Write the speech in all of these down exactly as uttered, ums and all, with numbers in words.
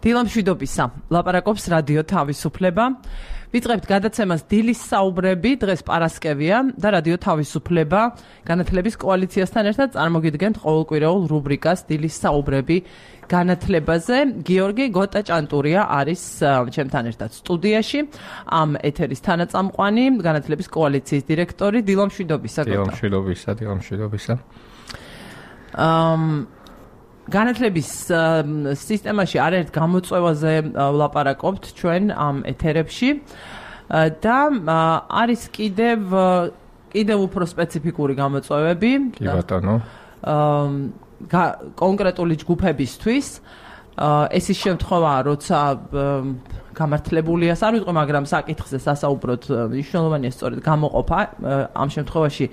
დილამშვიდობისა, ლაპარაკობს რადიო თავისუფლება. ვიწყებთ გადაცემას დილის საუბრები, დღეს პარასკევია და რადიო თავისუფლება განათლების კოალიციასთან ერთად წარმოგიდგენთ ყოველკვირეულ რუბრიკას დილის საუბრები განათლებაზე. გიორგი გოტა-ჭანტურია არის ჩემთან ერთად სტუდიაში, ამ ეთერის თანაწამყვანი, განათლების კოალიციის დირექტორი. დილამშვიდობისა, გოტა. დილამშვიდობისა, დილამშვიდობისა. ამ განათლების სისტემაში არაერთ გამოწვევაზე ვლაპარაკობთ ჩვენ ამ ეთერებში და არის კიდევ კიდევ უფრო სპეციფიკური გამოწვევები. კი ბატონო. კონკრეტული ჯგუფებისთვის ეს ის შემთხვევაა, როცა გამართლებულია, არ ვიტყვი, მაგრამ საკითხზე სასაუბროდ მნიშვნელოვანია სწორედ გამოყოფა ამ შემთხვევაში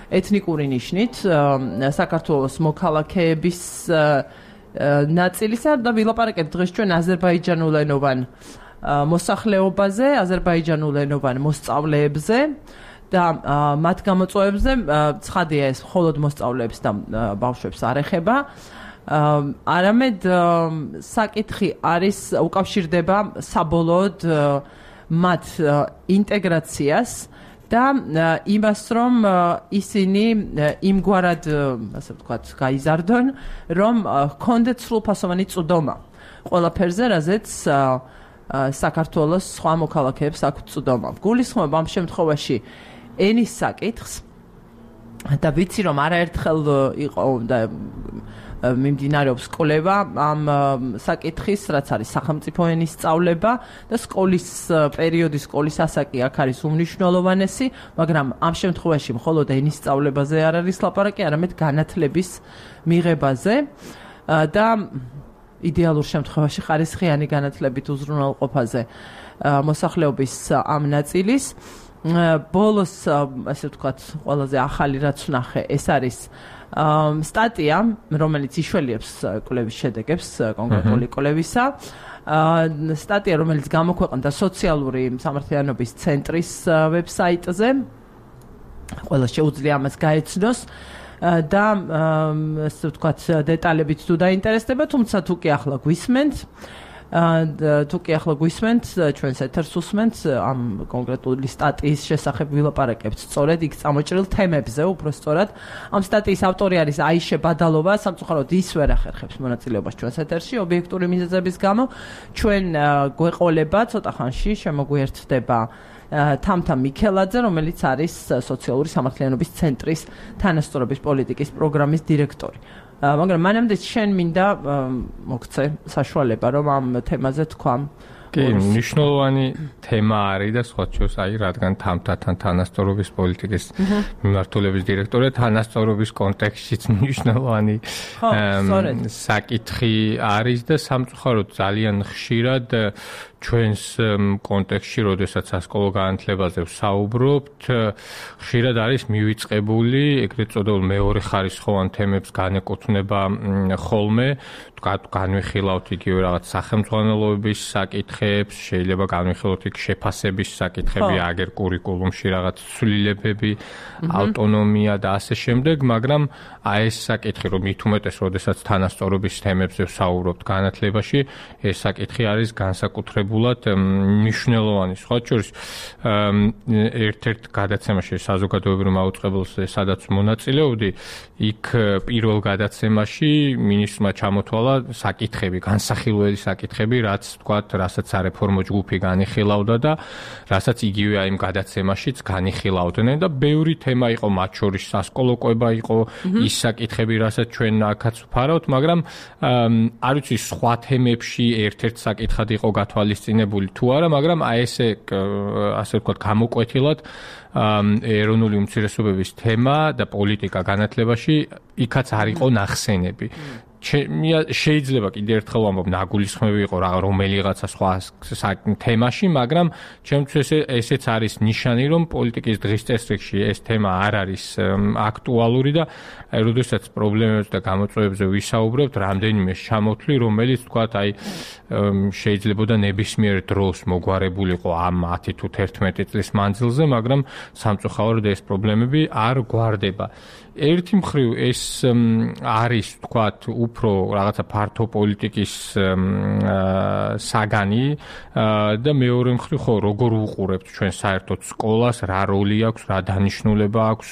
ეთნიკური ნიშნით საქართველოს მოქალაქეების ნაწილისა და ვილაპარაკებთ დღეს ჩვენ აზერბაიჯანულენოვან მოსახლეობაზე, აზერბაიჯანულენოვან მოსწავლეებზე და მათ გამოწვევებზე. ცხადია, ეს მხოლოდ მოსწავლეებს და ბავშვებს არ ეხება, არამედ საკითხი არის უკავშირდება საბოლოოდ მათ ინტეგრაციას და იმას, რომ ისინი იმგვარად, ასე ვთქვათ, გაიზარდონ, რომ ჰქონდეთ სრულფასოვანი წვდომა ყველაფერზე, რაზეც საქართველოს სხვა მოქალაქეებს აქვთ წვდომა. გულისხმობ ამ შემთხვევაში ენის საკითხს და ვიცი, რომ არაერთხელ იყო და მიმდინარეობს კვლევა ამ საკითხის, რაც არის სახელმწიფო ენის სწავლება და სკოლის პერიოდის სკოლის ასაკი აქ არის უმნიშვნელოვანესი, მაგრამ ამ შემთხვევაში მხოლოდ ენის სწავლებაზე არ არის ლაპარაკი, არამედ განათლების მიღებაზე და იდეალურ შემთხვევაში ხარისხიანი განათლებით უზრუნველყოფაზე მოსახლეობის ამ ნაწილის. ბოლოს, ასე ვთქვათ, ყველაზე ახალი რაც ვნახე, ეს არის სტატია, რომელიც იშველიებს კვლევის შედეგებს კონკრეტული კვლევისა. სტატია, რომელიც გამოქვეყნდა სოციალური სამართლიანობის ცენტრის ვებსაიტზე. ყველა შეუძლია ამას გაეცნოს და ასე ვთქვათ, დეტალებით თუ დაინტერესდება, თუმცა თუ კი ახლა გვისმენთ, თუ კი ახლა გვისმენთ, ჩვენს ეთერს უსმენთ, ამ კონკრეტული სტატიის შესახებ ვილაპარაკებთ სწორედ იქ წამოჭრილ თემებზე, უფრო სწორად. ამ სტატიის ავტორი არის აიშე ბადალოვა, სამწუხაროდ ის ვერ ახერხებს მონაწილეობას ჩვენს ეთერში ობიექტური მიზეზების გამო. ჩვენ გვეყოლება ცოტა ხანში შემოგვიერთდება თამთა მიქელაძე, რომელიც არის სოციალური სამართლიანობის ცენტრის თანასწორობის პოლიტიკის პროგრამის დირექტორი. მაგრამ მანამდე შენ მინდა მოგცე საშუალება, რომ ამ თემაზე თქვა. კი, მნიშვნელოვანი თემა არის და სხვა შორის, აი, რადგან თამთათან თანასწორობის პოლიტიკის მიმართულების დირექტორია, თანასწორობის კონტექსტშიც მნიშვნელოვანი საკითხი არის და სამწუხაროდ ძალიან ხშირად ჩვენს კონტექსტში, როდესაც სასკოლო განათლებაზე ვსაუბრობთ, ხშირად არის მივიწყებული ეგრეთ წოდებულ მეორე ხარისხოვან თემებს განეკუთვნება ხოლმე, განვიხილავთ იგივე რაღაც სახელმძღვანელოების საკითხებს, შეიძლება განვიხილოთ იქ შეფასების საკითხები, აგერ კურიკულუმში რაღაც ცვლილებები, ავტონომია და ასე შემდეგ, მაგრამ აი ეს საკითხი, რომ მით უმეტეს, როდესაც თანასწორობის თემებზე ვსაუბრობთ განათლებაში, ეს საკითხი არის განსაკუთრებულად მნიშვნელოვანი. სხვა შორის, ერთ-ერთ გადაცემაში საზოგადოებრივ მაუწყებელზე, სადაც მონაწილეობდი, იქ პირველ გადაცემაში მინისტრმა ჩამოთვალა საკითხები, განსახილველი საკითხები, რაც თქვათ, რასაც სარეფორმო ჯგუფი განიხილავდა და რასაც იგივე აი იმ გადაცემაშიც განიხილავდნენ და ბევრი თემა იყო, მათ შორის სასკოლო კვება იყო, ის საკითხები, რასაც ჩვენ აქაც ვფარავთ, მაგრამ არ ვიცი, სხვა თემებში ერთ-ერთ საკითხად იყო გათვალისწინებული თუ არა, მაგრამ აი ესე ასე ვთქვათ, გამოკვეთილად ეროვნული უმცირესობების თემა და პოლიტიკა განათლებაში იქაც არ იყო ნახსენები. შეიძლება კიდევ ერთხელ ვამბობ, ნაგულისხმები იყო რომელიღაცა სხვა თემაში, მაგრამ ჩემთვის ესეც არის ნიშანი, რომ პოლიტიკის დღის წესრიგში ეს თემა არ არის აქტუალური და როდესაც პრობლემებზე და გამოწვევებზე ვისაუბრებთ, რამდენიმე ჩამოთვლი, რომელიც თქვათ, აი შეიძლებოდა ნებისმიერ დროს მოგვარებულიყო ამ ათი თუ თერთმეტი წლის მანძილზე, მაგრამ სამწუხაროდ ეს პრობლემები არ გვარდება. ერთი მხრივ ეს არის თქვათ უფრო რაღაცა ფართო პოლიტიკის საგანი და მეორე მხრივ ხო როგორ უყურებთ ჩვენ საერთოდ სკოლას, რა როლი აქვს, რა დანიშნულება აქვს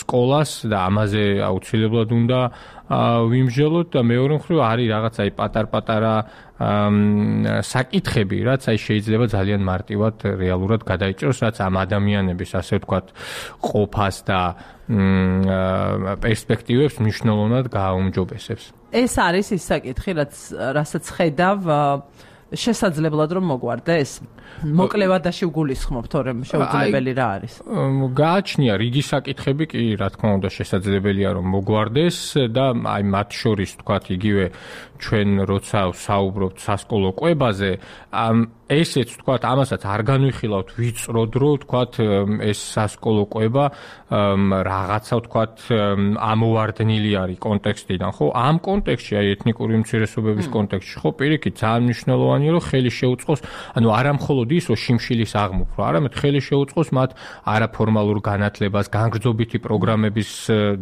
სკოლას და ამაზე აუცილებლად უნდა ვიმსჯელოთ და მეორე მხრივ არის რაღაც აი პატარ-პატარა საკითხები, რაც აი შეიძლება ძალიან მარტივად რეალურად გადაიჭროს, რაც ამ ადამიანების ასე ვთქვათ ყოფას და პერსპექტივებს მნიშვნელოვნად გააუმჯობესებს. ეს არის ის საკითხი, რაც რასაც ხედავ შესაძლებლად რომ მოგვარდეს? მოკლევადაში ვგულისხმობ, თორემ შეუძლებელი რა არის? გააჩნია რიგი საკითხები კი, რა თქმა უნდა, შესაძლებელია რომ მოგვარდეს და აი მათ შორის თქვათ იგივე ჩვენ როცა ვსაუბრობთ სასკოლო კვებაზე, ესეც თქვათ ამასაც არ განვიხილავთ ვიწროდ, რომ თქვათ ეს სასკოლო კვება რაღაცა თქვათ ამოვარდნილი არის კონტექსტიდან, ხო? ამ კონტექსტში აი ეთნიკური უმცირესობების კონტექსტში ხო პირიქით ძალიან მნიშვნელოვანია რომ ხელი შეუწყოს, ანუ არა მხოლოდ ის რომ შიმშილის აღმოფხვრა, არამედ ხელი შეუწყოს მათ არაფორმალურ განათლებას, განგრძობითი პროგრამების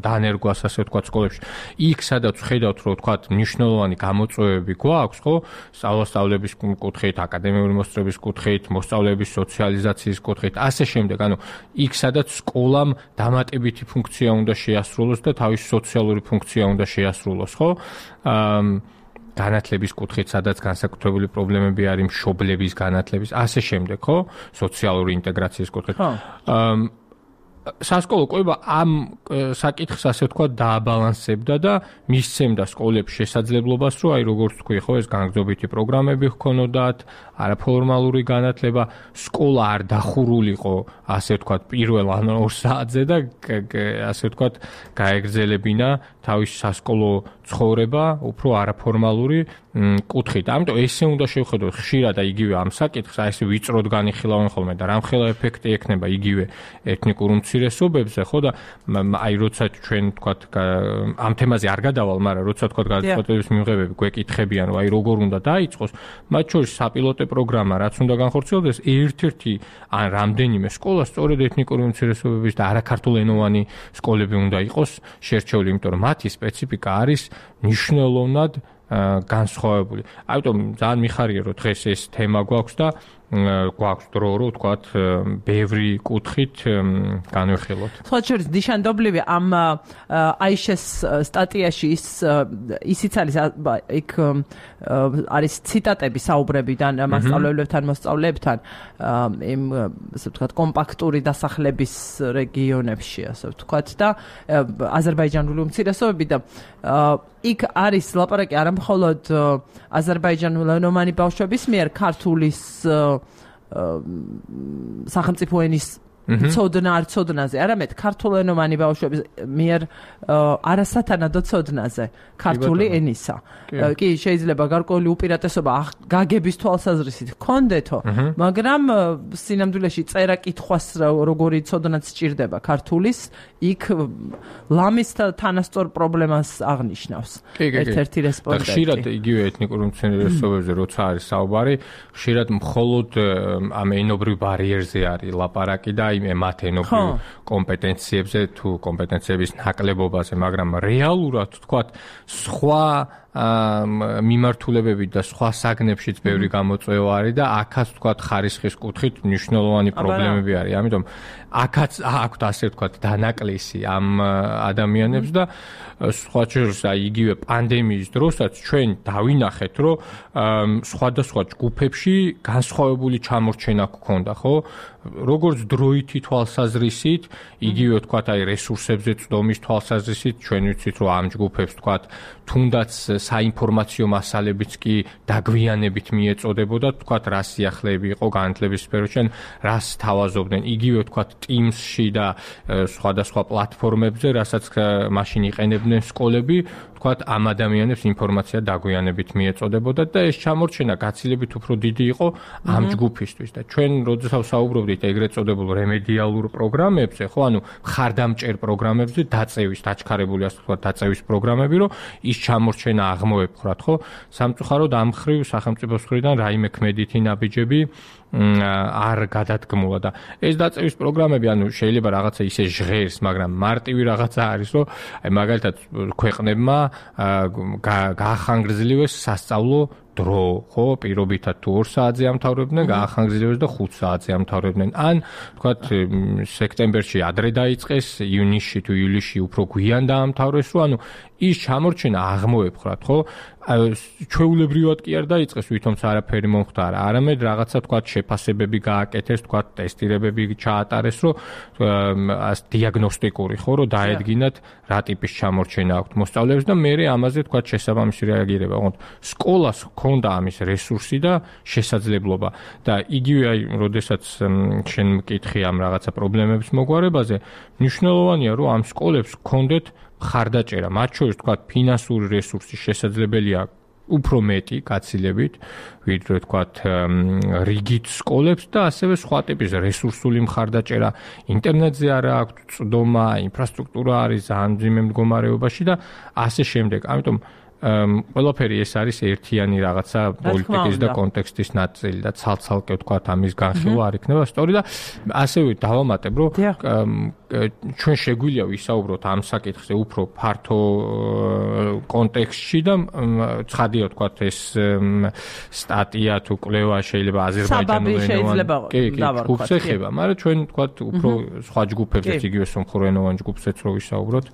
დანერგვას, ასე ვთქვათ, სკოლებში. იქ სადაც ხედავთ რომ თქვათ მნიშვნელოვანი გამოწვევები გვაქვს, ხო? სწავლასწავლების კუთხით, აკადემიური მოსწრების კუთხით, მოსწავლეების სოციალიზაციის კუთხით, ასე შემდეგ. ანუ იქ სადაც სკოლამ დამატებითი ფუნქცია უნდა შეასრულოს და თავის სოციალური ფუნქცია უნდა შეასრულოს, ხო? აა განათლების კუთხით, სადაც განსაკუთრებული პრობლემები არის მშობლების განათლების, ასე შემდეგ, ხო? სოციალური ინტეგრაციის კუთხით. აა სასკოლო კვება ამ საკითხს ასე ვთქვათ დააბალანსებდა და მისცემდა სკოლებს შესაძლებლობას, რომ აი როგორც თქვი, ხო, ეს განგრძობითი პროგრამები ჰქონოდათ, არაფორმალური განათლება, სკოლა არ დახურულიყო, ასე ვთქვათ, პირველ ან ორ საათზე და ასე ვთქვათ, გაეგრძელებინა თავის სასკოლო ცხოვრება, უფრო არაფორმალური კუთხით. ამიტომ ესე უნდა შევხედოთ ხშირად და იგივე ამ საკითხს, აი ესე ვიწროდ განიხილავენ ხოლმე და რამხელა ეფექტი ექნება იგივე ეთნიკურ უმცირესობებზე, ხო და აი როცა ჩვენ თქვათ ამ თემაზე არ გადავალ, მაგრამ როცა თქვათ გადაწყვეტილების მიღებები გვეკითხებიან, რომ აი როგორ უნდა დაიწყოს, მათ შორის საპილოტე პროგრამა, რაც უნდა განხორციელდეს, ერთ-ერთი ან რამდენიმე სკოლა სწორედ ეთნიკური უმცირესობების და არაქართულენოვანი სკოლები უნდა იყოს შერჩეული, იმიტომ რომ მათი სპეციფიკა არის მნიშვნელოვნად განსხვავებული. ამიტომ ძალიან მიხარია რომ დღეს ეს თემა გვაქვს და გვაქვს დრო რომ ვთქვათ ბევრი კუთხით განვიხილოთ. სხვა შორის ნიშანდობლივი ამ აიშეს სტატიაში ის ისიც არის იქ არის ციტატები საუბრებიდან მასწავლებლებთან, მოსწავლეებთან იმ ასე ვთქვათ კომპაქტური დასახლების რეგიონებში, ასე ვთქვათ და აზერბაიჯანული უმცირესობები და იქ არის ლაპარაკი არა მხოლოდ აზერბაიჯანულენოვანი ბავშვების მიერ ქართულის სახელმწიფო ენის ცოდნა არ ცოდნაზე, არამედ ქართულენოვანი ბავშვების მიერ არასათანადო ცოდნაზე ქართული ენისა. კი, შეიძლება გარკვეული უპირატესობა გაგების თვალსაზრისით ჰქონდეთო, მაგრამ სინამდვილეში წერა კითხვას როგორი ცოდნაც სჭირდება ქართულის, იქ ლამის თანასწორ პრობლემას აღნიშნავს ერთ-ერთი რესპონდენტი. ხშირად იგივე ეთნიკურ უმცირესობებზე როცა არის საუბარი, ხშირად მხოლოდ ამ ენობრივ ბარიერზე არის ლაპარაკი და იმ მათ ენობრივ კომპეტენციებზე თუ კომპეტენციების ნაკლებობაზე, მაგრამ რეალურად თქვათ სხვა მიმართულებები და სხვა საგნებშიც ბევრი გამოწვევა არის და აქაც თქვათ ხარისხის კუთხით მნიშვნელოვანი პრობლემები არის. ამიტომ აქაც აქვთ ასე ვთქვათ დანაკლისი ამ ადამიანებს და სხვა შორის აი იგივე პანდემიის დროსაც ჩვენ დავინახეთ, რომ სხვადასხვა ჯგუფებში განსხვავებული ჩამორჩენა გქონდა, ხო? როგორც დროითი თვალსაზრისით, იგივე ვთქვათ აი რესურსებზე წვდომის თვალსაზრისით, ჩვენ ვიცით, რომ ამ ჯგუფებს ვთქვათ თუნდაც საინფორმაციო მასალებიც კი დაგვიანებით მიეწოდებოდა, ვთქვათ რა სიახლეები იყო განათლების სფეროში, რას თავაზობდნენ, იგივე ვთქვათ Teams-ში და სხვადასხვა პლატფორმებზე, რასაც მაშინ იყენებდნენ სკოლები, თქვათ ამ ადამიანებს ინფორმაცია დაგვიანებით მიეწოდებოდა და ეს ჩამორჩენა გაცილებით უფრო დიდი იყო ამ ჯგუფისთვის და ჩვენ როდესაც საუბრობდით ეგრეთ წოდებულ რემედიალურ პროგრამებზე, ხო, ანუ ხარდამჭერ პროგრამებზე, დაწევის, დაჩქარებული ასე ვთქვათ, დაწევის პროგრამები, რომ ის ჩამორჩენა აღმოეპყრათ, ხო? სამწუხაროდ ამ ხრივ სახელმწიფოს მხრიდან რაიმე ქმედითი ნაბიჯები არ გადადგმულა და ეს დაწევის პროგრამები, ანუ შეიძლება რაღაცა ისე ჟღერს, მაგრამ მარტივი რაღაცა არის, რომ აი მაგალითად ქვეყნებმა გაახანგრძლივეს სასწავლო დრო, ხო, პირობითად თუ ორ საათზე ამთავრებდნენ, გაახანგრძლივეს და ხუთ საათზე ამთავრებდნენ. ან, თქვათ, სექტემბერში ადრე დაიწყეს, ივნისში თუ ივლისში უფრო გვიან დაამთავრეს, რომ ანუ ის ჩამორჩენა აღმოეპყრათ, ხო? ჩვეულებრივად კი არ დაიწყეს, ვითომაც არაფერი მომხდარა, არამედ რაღაცა, თქვათ, შეფასებები გააკეთეს, თქვათ, ტესტირებები ჩაატარეს, რომ დიაგნოსტიკური, ხო, რომ დაედგინათ რა ტიპის ჩამორჩენა აქვთ მოსწავლეებს და მე ამაზე, თქვათ, შესაბამისი რეაგირება. ოღონდ სკოლას ქონდა ამის რესურსი და შესაძლებლობა და იგივე აი, როდესაც შენ მკითხი ამ რაღაცა პრობლემების მოგვარებაზე, მნიშვნელოვანია, რომ ამ სკოლებს ქონდეთ ხარდაჭერა, მათ შორის თქვათ ფინანსური რესურსი შესაძლებელია უფრო მეტი გაცილებით, ვიდრე თქვათ რიგით სკოლებს და ასევე სხვა ტიპის რესურსული მხარდაჭერა, ინტერნეტზე არა აქვთ წვდომა, ინფრასტრუქტურა არის ძალიან მძიმე მდგომარეობაში და ასე შემდეგ. ამიტომ ყველაფერი ეს არის ერთიანი რაღაცა პოლიტიკის და კონტექსტის ნაწილი და ცალ-ცალკე ვთქვათ ამის განხილვა არ იქნება სწორი და ასევე დავამატებ რომ ჩვენ შეგვიძლია ვისაუბროთ ამ საკითხზე უფრო ფართო კონტექსტში და ცხადია ვთქვათ ეს სტატია თუ კვლევა შეიძლება აზერბაიჯანულენოვან ჯგუფს ეხება, მაგრამ ჩვენ ვთქვათ უფრო სხვა ჯგუფებზეც იგივე სომხურენოვან ჯგუფზეც რო ვისაუბროთ.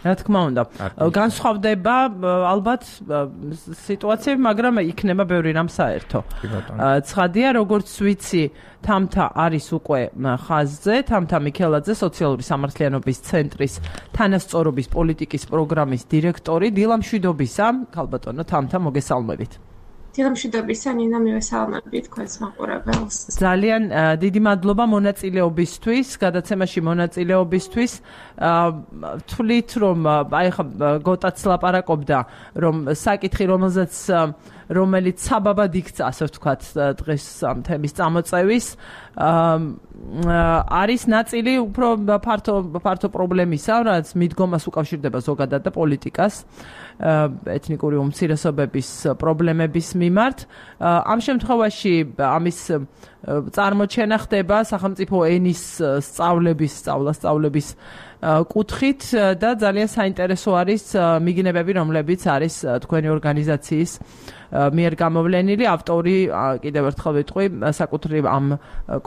რა თქმა უნდა, განსხვავდება ალბათ სიტუაციები, მაგრამ იქნება ბევრი რამ საერთო. ცხადია, როგორც ვიცი, თამთა არის უკვე ხაზზე, თამთა მიქელაძე, სოციალური სამართლიანობის ცენტრის თანასწორობის პოლიტიკის პროგრამის დირექტორი. დილამშვიდობისა, ქალბატონო თამთა, მოგესალმებით. დილამშვიდობისა, ნინა, მივესალმებით თქვენს მაყურებელს. ძალიან დიდი მადლობა მონაწილეობისთვის, გადაცემაში მონაწილეობისთვის. თვლით, რომ აი ხა გოტაც ლაპარაკობდა, რომ საკითხი, რომელზეც რომელიც საბაბად იქცა, ასე ვთქვათ, დღეს ამ თემის წამოწევის, არის ნაწილი უფრო ფართო ფართო პრობლემისა, რაც მიდგომას უკავშირდება ზოგადად და პოლიტიკას, ეთნიკური უმცირესობების პრობლემების მიმართ. ამ შემთხვევაში ამის წარმოჩენა ხდება სახელმწიფო ენის სწავლების, სწავლა-სწავლების კუთხით და ძალიან საინტერესო არის მიგნებები, რომლებიც არის თქვენი ორგანიზაციის მიერ გამოვლენილი. ავტორი, კიდევ ერთხელ ვიტყვი, საკუთრივ ამ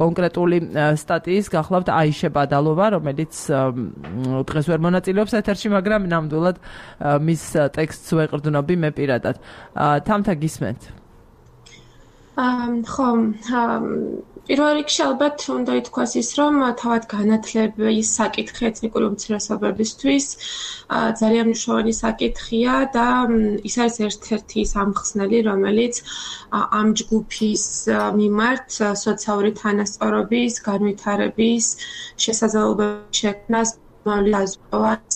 კონკრეტული სტატიის გახლავთ აიშე ბადალოვა, რომელიც დღეს ვერ მონაწილეობს ეთერში, მაგრამ ნამდვილად მის ტექსტს ვეყრდნობი მე პირადად. თამთა გისმენთ? ხო, პირველ რიგში ალბათ უნდა ითქვას ის, რომ თავად განათლების საკითხი ეთნიკური უმცირესობებისთვის ძალიან მნიშვნელოვანი საკითხია და ის არის ერთ-ერთი სამხსნელი, რომელიც ამ ჯგუფის მიმართ სოციალური თანასწორობის, განვითარების შესაძლებლობების შექმნას მალაზოვაც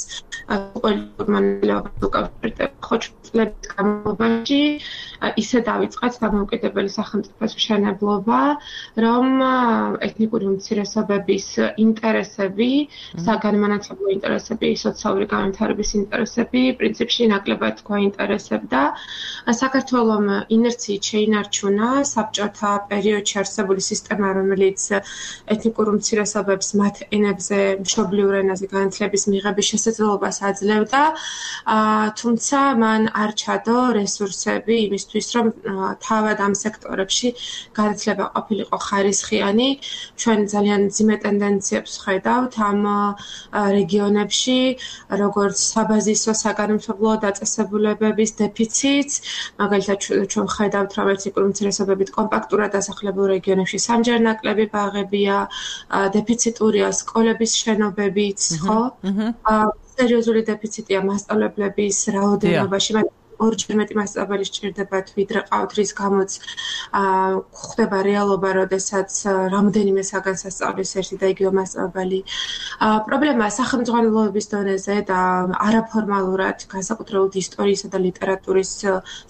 პოლიტიკურ უკავშირდება. ხო, წლების განმავლობაში ისე დაიწყეთ დამოუკიდებელი სახელმწიფოს მშენებლობა, რომ ეთნიკური უმცირესობების ინტერესები, საგანმანათლებლო ინტერესები, სოციალური განვითარების ინტერესები პრინციპში ნაკლებად გვაინტერესებდა. საქართველომ ინერციით შეინარჩუნა საბჭოთა პერიოდში არსებული სისტემა, რომელიც ეთნიკურ უმცირესობებს მათ ენებზე, მშობლიურ ენაზე განათლების მიღების შესაძლებლობას აძლევდა, თუმცა მან არ ჩადო რესურსები იმისთვის, რომ თავად ამ სექტორებში განათლება ყოფილიყო ხარისხიანი. ჩვენ ძალიან მძიმე ტენდენციებს ვხედავთ ამ რეგიონებში, როგორც საბაზისო საგანმანათლებლო დაწესებულებების დეფიციტს, მაგალითად ჩვენ ვხედავთ, რომ ეთნიკური უმცირესობებით კომპაქტურად დასახლებულ რეგიონებში სამჯერ ნაკლები ბაღებია, დეფიციტურია სკოლების შენობებიც, ხო? სერიოზული დეფიციტია მასწავლებლების რაოდენობაში, ორჯერ მეტი მასწავლებელი სჭირდებათ, ვიდრე ყავთ, რის გამოც ხდება რეალობა, როდესაც რამდენიმე საგანს ასწავლის ერთი და იგივე მასწავლებელი. პრობლემაა სახელმძღვანელოების დონეზე და არაფორმალურად, განსაკუთრებით ისტორიისა და ლიტერატურის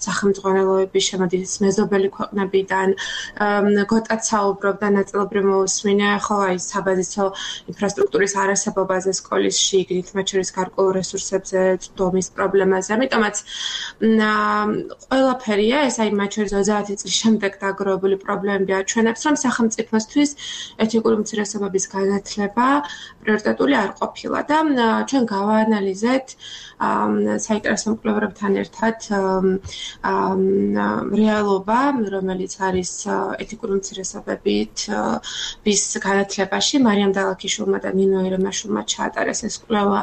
სახელმძღვანელოები შემოდის მეზობელი ქვეყნებიდან, გოტაც საუბრობდა ნაწილობრივ მოусმინე, ხო, აი საბაზისო ინფრასტრუქტურის არასებობაზე სკოლის შიგნით, მათ შორის გარკვეულ რესურსებზე, დომის პრობლემაზე. ამიტომაც ყველაფერია ეს აი მათ შორის ოცდაათი წლის შემდეგ დაგროვებული პრობლემები აჩვენებს, რომ სახელმწიფოსთვის ეთნიკური უმცირესობების განათლება პრიორიტეტული არ ყოფილა და ჩვენ გავაანალიზეთ საინტერესო მკვლევარებთან ერთად რეალობა, რომელიც არის ეთნიკური უმცირესობებით ვის განათლებაში. მარიამ დალაქიშვილმა და ნინო ერემაშვილმა ჩაატარეს ეს კვლევა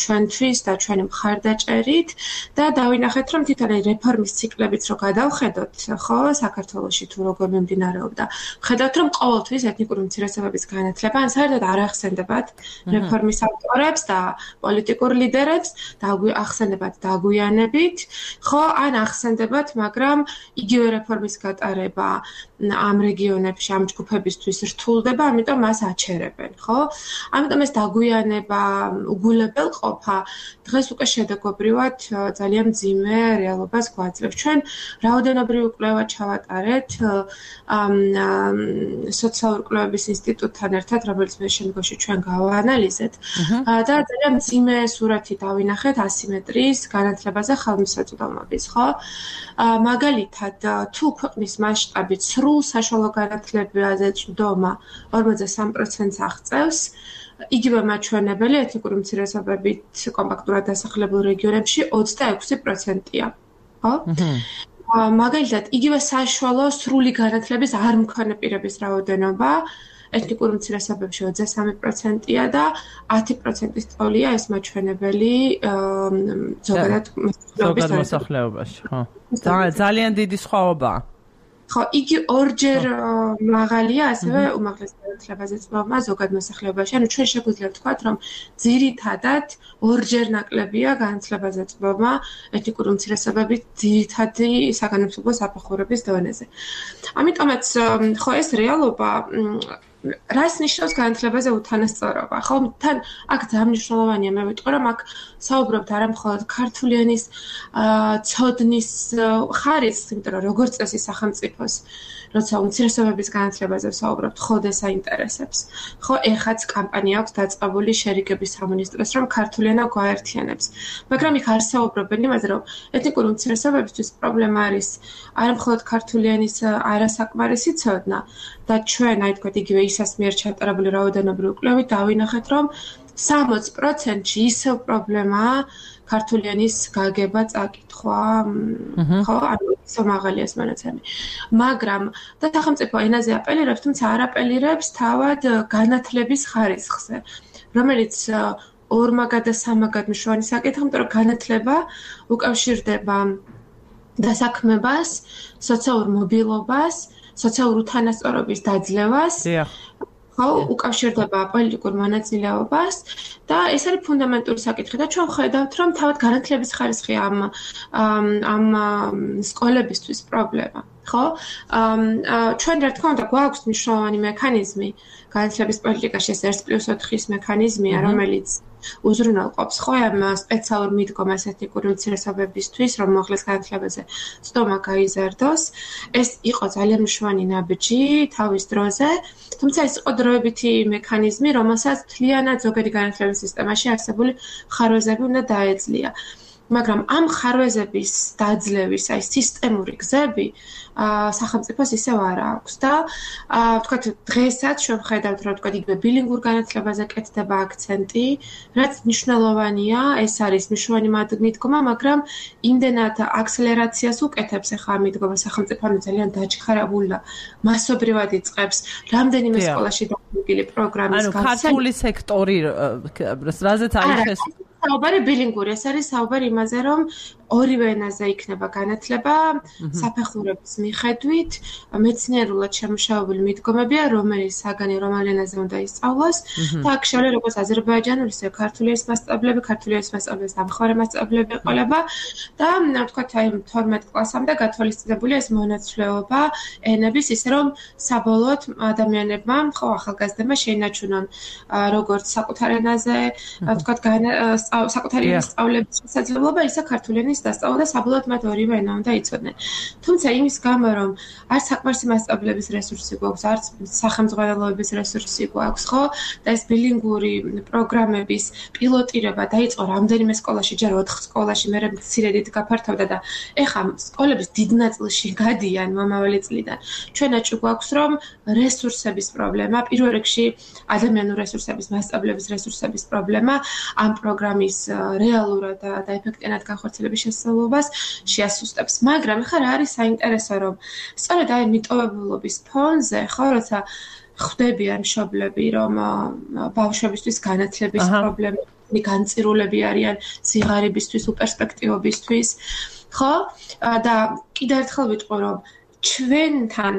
ჩვენთვის და ჩვენი მხარდაჭერით და დავინახეთ, რომ თვითონ რეფორმის ციკლებით რო გადავხედოთ, ხო, საქართველოში თუ როგორ მიმდინარეობდა, ხედავთ, რომ ყოველთვის ეთნიკური უმცირესობების განათლება ან საერთოდ არ ახსენდებათ რეფორმის ავტორებს და პოლიტიკურ ლიდერებს და ახსენდებათ დაგვიანებით, ხო, ან ახსენდებათ, მაგრამ იგივე რეფორმის გატარება ამ რეგიონებში ამ ჯგუფებისთვის რთულდება, ამიტომ მას აჩერებენ, ხო? ამიტომ ეს დაგვიანება, უგულებელ ყოფა დღეს უკვე შედეგობრივად ძალიან მძიმე რეალობას გვაძლევს. ჩვენ რაოდენობრივი კვლევა ჩავატარეთ სოციალური კვლევების ინსტიტუტთან ერთად, რომელიც მე შემდგომში ჩვენ გავაანალიზეთ და ძალიან მძიმე სურათი დავინახეთ ასიმეტრიის განათლებაზე ხელმისაწვდომობის, ხო? მაგალითად, თუ ქვეყნის მასშტაბით სრულ საშუალო განათლებაზე წვდომა ორმოცდასამ პროცენტს აღწევს, იგივე მაჩვენებელი ეთნიკური უმცირესობებით კომპაქტურად დასახლებულ რეგიონებში ოცდაექვსი პროცენტია, ხო? მაგალითად, იგივე საშუალო სრული განათლების არ მქონე პირების რაოდენობა ეთნიკურ უმცირესობებში ოცდასამი პროცენტია და ათი პროცენტის ტოლია ეს მაჩვენებელი ზოგადად მოსახლეობაში, ხო? ძალიან დიდი სხვაობაა. ხო, იგი ორჯერ მაღალია ასევე უმაღლეს განათლებაზე წვდომა ზოგად მოსახლეობაში. ანუ ჩვენ შეგვიძლია ვთქვათ, რომ ძირითადად ორჯერ ნაკლებია განათლებაზე წვდომა ეთნიკური უმცირესობების ძირითადი საგანმანათლებლო საფეხურების დონეზე. ამიტომაც, ხო, ეს რეალობა რას ნიშნავს განათლებაზე უთანასწორობა? ხო, თან აქ ძალიან მნიშვნელოვანია, მე ვიტყვი, რომ აქ საუბრობთ არა მხოლოდ ქართული ენის ცოდნის ხარისხს, იმიტომ რომ როგორც წესი სახელმწიფოს, როცა უმცირესობების განათლებაზე ვსაუბრობთ, ხოდეს აინტერესებს. ხო, ეხაც კამპანია აქვს დაწყებული შერიგების სამინისტროს, რომ ქართული ენა გვაერთიანებს. მაგრამ იქ არ საუბრობენ იმაზე, რომ ეთნიკური უმცირესობებისთვის პრობლემა არის არა მხოლოდ ქართული ენის არასაკმარისი ცოდნა და ჩვენ, აი თქვათ, იგივე ისას მიერ ჩატარებული რაოდენობრივი კვლევით დავინახეთ, რომ სამოცი პროცენტში ისევ პრობლემაა ქართული ენის გაგება, წაკითხვა, ხო, ანუ ისევ მაღალია ეს მონაცემი. მაგრამ და სახელმწიფო ენაზე აპელირებს, თუმცა არ აპელირებს თავად განათლების ხარისხზე, რომელიც ორმაგად და სამაგად მნიშვნელოვანი საკითხია, იმიტომ რომ განათლება უკავშირდება დასაქმებას, სოციალურ მობილობას, სოციალურ უთანასწორობის დაძლევას, ხო, უკავშირდება პოლიტიკურ მონაწილეობას და ეს არის ფუნდამენტური საკითხი და ჩვენ ხედავთ, რომ თავად განათლების ხარისხი ამ ამ სკოლებისთვის პრობლემა, ხო? ჩვენ რა თქმა უნდა გვაქვს მნიშვნელოვანი მექანიზმი განათლების პოლიტიკაში, ეს ერთ პლუს ოთხის მექანიზმია, რომელიც უზრუნველყოფს ხო ამ სპეციალურ მიდგომას ეთნიკური უმცირესობებისთვის, რომ მოხლეს განათლებაზე წვდომა გაიზარდოს. ეს იყო ძალიან მნიშვნელოვანი ნაბიჯი თავის დროზე, თუმცა ეს იყო დროებითი მექანიზმი, რომელსაც მთლიანად ზოგადი განათლების სისტემაში არსებული ხარვეზები უნდა დაეძლია. მაგრამ ამ ხარვეზების დაძლევის აი სისტემური გზები სახელმწიფოს ისევ არ აქვს და ვთქვათ დღესაც ჩვენ ვხედავთ რომ ვთქვათ იგივე ბილინგურ განათლებაზე კეთდება აქცენტი, რაც მნიშვნელოვანია, ეს არის მნიშვნელოვანი მიდგომა, მაგრამ იმდენად აქსელერაციას უკეთებს ახლა ამ მიდგომა სახელმწიფო ძალიან დაჩქარებული და მასობრივად იწყებს რამდენიმე სკოლაში დამოკიდებული პროგრამის გასცემა. ანუ ქართული სექტორი რაზეც არის ეს საუბარი ბილინგური, ეს არის საუბარი იმაზე, რომ ორივე ენაზე იქნება განათლება საფეხურების მიხედვით, მეცნიერულად შემუშავებული მიდგომებია, რომელიც საგანი რომელ ენაზე უნდა ისწავლოს და აქ შეიძლება როგორც აზერბაიჯანული, ისე ქართული ენის მასწავლებლები, ქართული ენის მასწავლებლების დამხმარე მასწავლებლები ყოლება და ვთქვათ, აი თორმეტ კლასამდე გათვალისწინებულია ეს მონაცვლეობა ენების, ისე რომ საბოლოოდ ადამიანებმა, ხო, ახალგაზრდებმა შეინარჩუნონ როგორც საკუთარ ენაზე, ვთქვათ, საკუთარი ენის სწავლების შესაძლებლობა, ისე ქართული ენის დასწავლა და საბოლოოდ მათ ორივე ენა უნდა იცოდნენ. თუმცა იმის გამო, რომ არც საკმარისი მასწავლებლების რესურსი გვაქვს, არც სახელმძღვანელოების რესურსი გვაქვს, ხო? და ეს ბილინგური პროგრამების პილოტირება დაიწყო რამდენიმე სკოლაში, ჯერ ოთხ სკოლაში, მერე მცირედით გაფართოვდა და ეხლა სკოლების დიდ ნაწილში გადიან მომავალი წლიდან. ჩვენაჩუ გვაქვს, რომ რესურსების პრობლემა, პირველ რიგში ადამიანური რესურსების, მასწავლებლების რესურსების პრობლემა ამ პროგრამის რეალურად და ეფექტიანად განხორციელების შესაძლებლობას შეასუსტებს. მაგრამ ეხლა რა არის საინტერესო, რომ სწორედ აი მიტოვებულობის ფონზე, ხო, როცა ხვდებიან მშობლები, რომ ბავშვებისთვის განათლების პრობლემები, განწირულები არიან სიღარიბისთვის, უპერსპექტივობისთვის, ხო? და კიდევ ერთხელ ვიტყვი, რომ ჩვენთან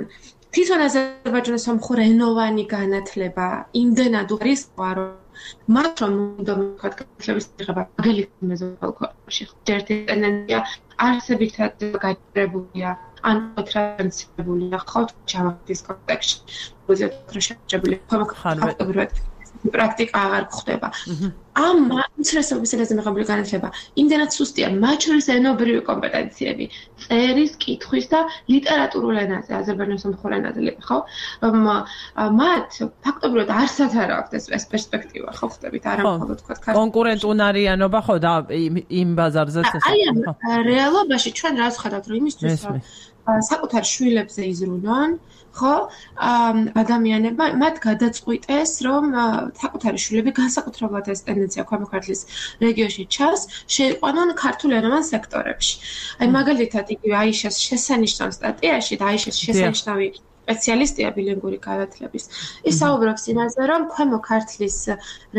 თვითონ აზერბაიჯანის მომხურე ენოვანი განათლება იმდენად არის, რომ მათ რომ უნდა ვთქვათ განათლების მიღება მაგალითად მეზობალქოში, ერთი ტენდენცია არსებითად გაჭირებულია ან ტრანსფერებულია ხო ჯავახის კონტექსტში, უზიათ შეჭებული ფაქტობრივად პრაქტიკა აღარ გვხდება. ამ უმცირესობის ენაზე მიღებული განათლება იმდენად სუსტია, მათ შორის ენობრივი კომპეტენციები, წერის, კითხვის და ლიტერატურულ ენაზე, აზერბაიჯანის მომხურე ენაზე, ხო? მათ ფაქტობრივად არსად არ აქვს ეს პერსპექტივა, ხო ხდებით, არა მხოლოდ თქვა ქართული კონკურენტუნარიანობა, ხო და იმ ბაზარზეც ეს. აი ამ რეალობაში ჩვენ რა ვხედავთ, რომ იმისთვის რომ საკუთარ შვილებზე იზრუნონ, ხო? ადამიანებმა მათ გადაწყვიტეს, რომ საკუთარი შვილები განსაკუთრებულად ეს ტენდენცია ქვემო ქართლის რეგიონში ჩანს, შეიყვანონ ქართულენოვან სექტორებში. აი მაგალითად იგივე აიშას შესანიშნავ სტატიაში და აიშას შესანიშნავი სპეციალისტია ბილინგური განათლების. ის საუბრობს იმაზე, რომ ქვემო ქართლის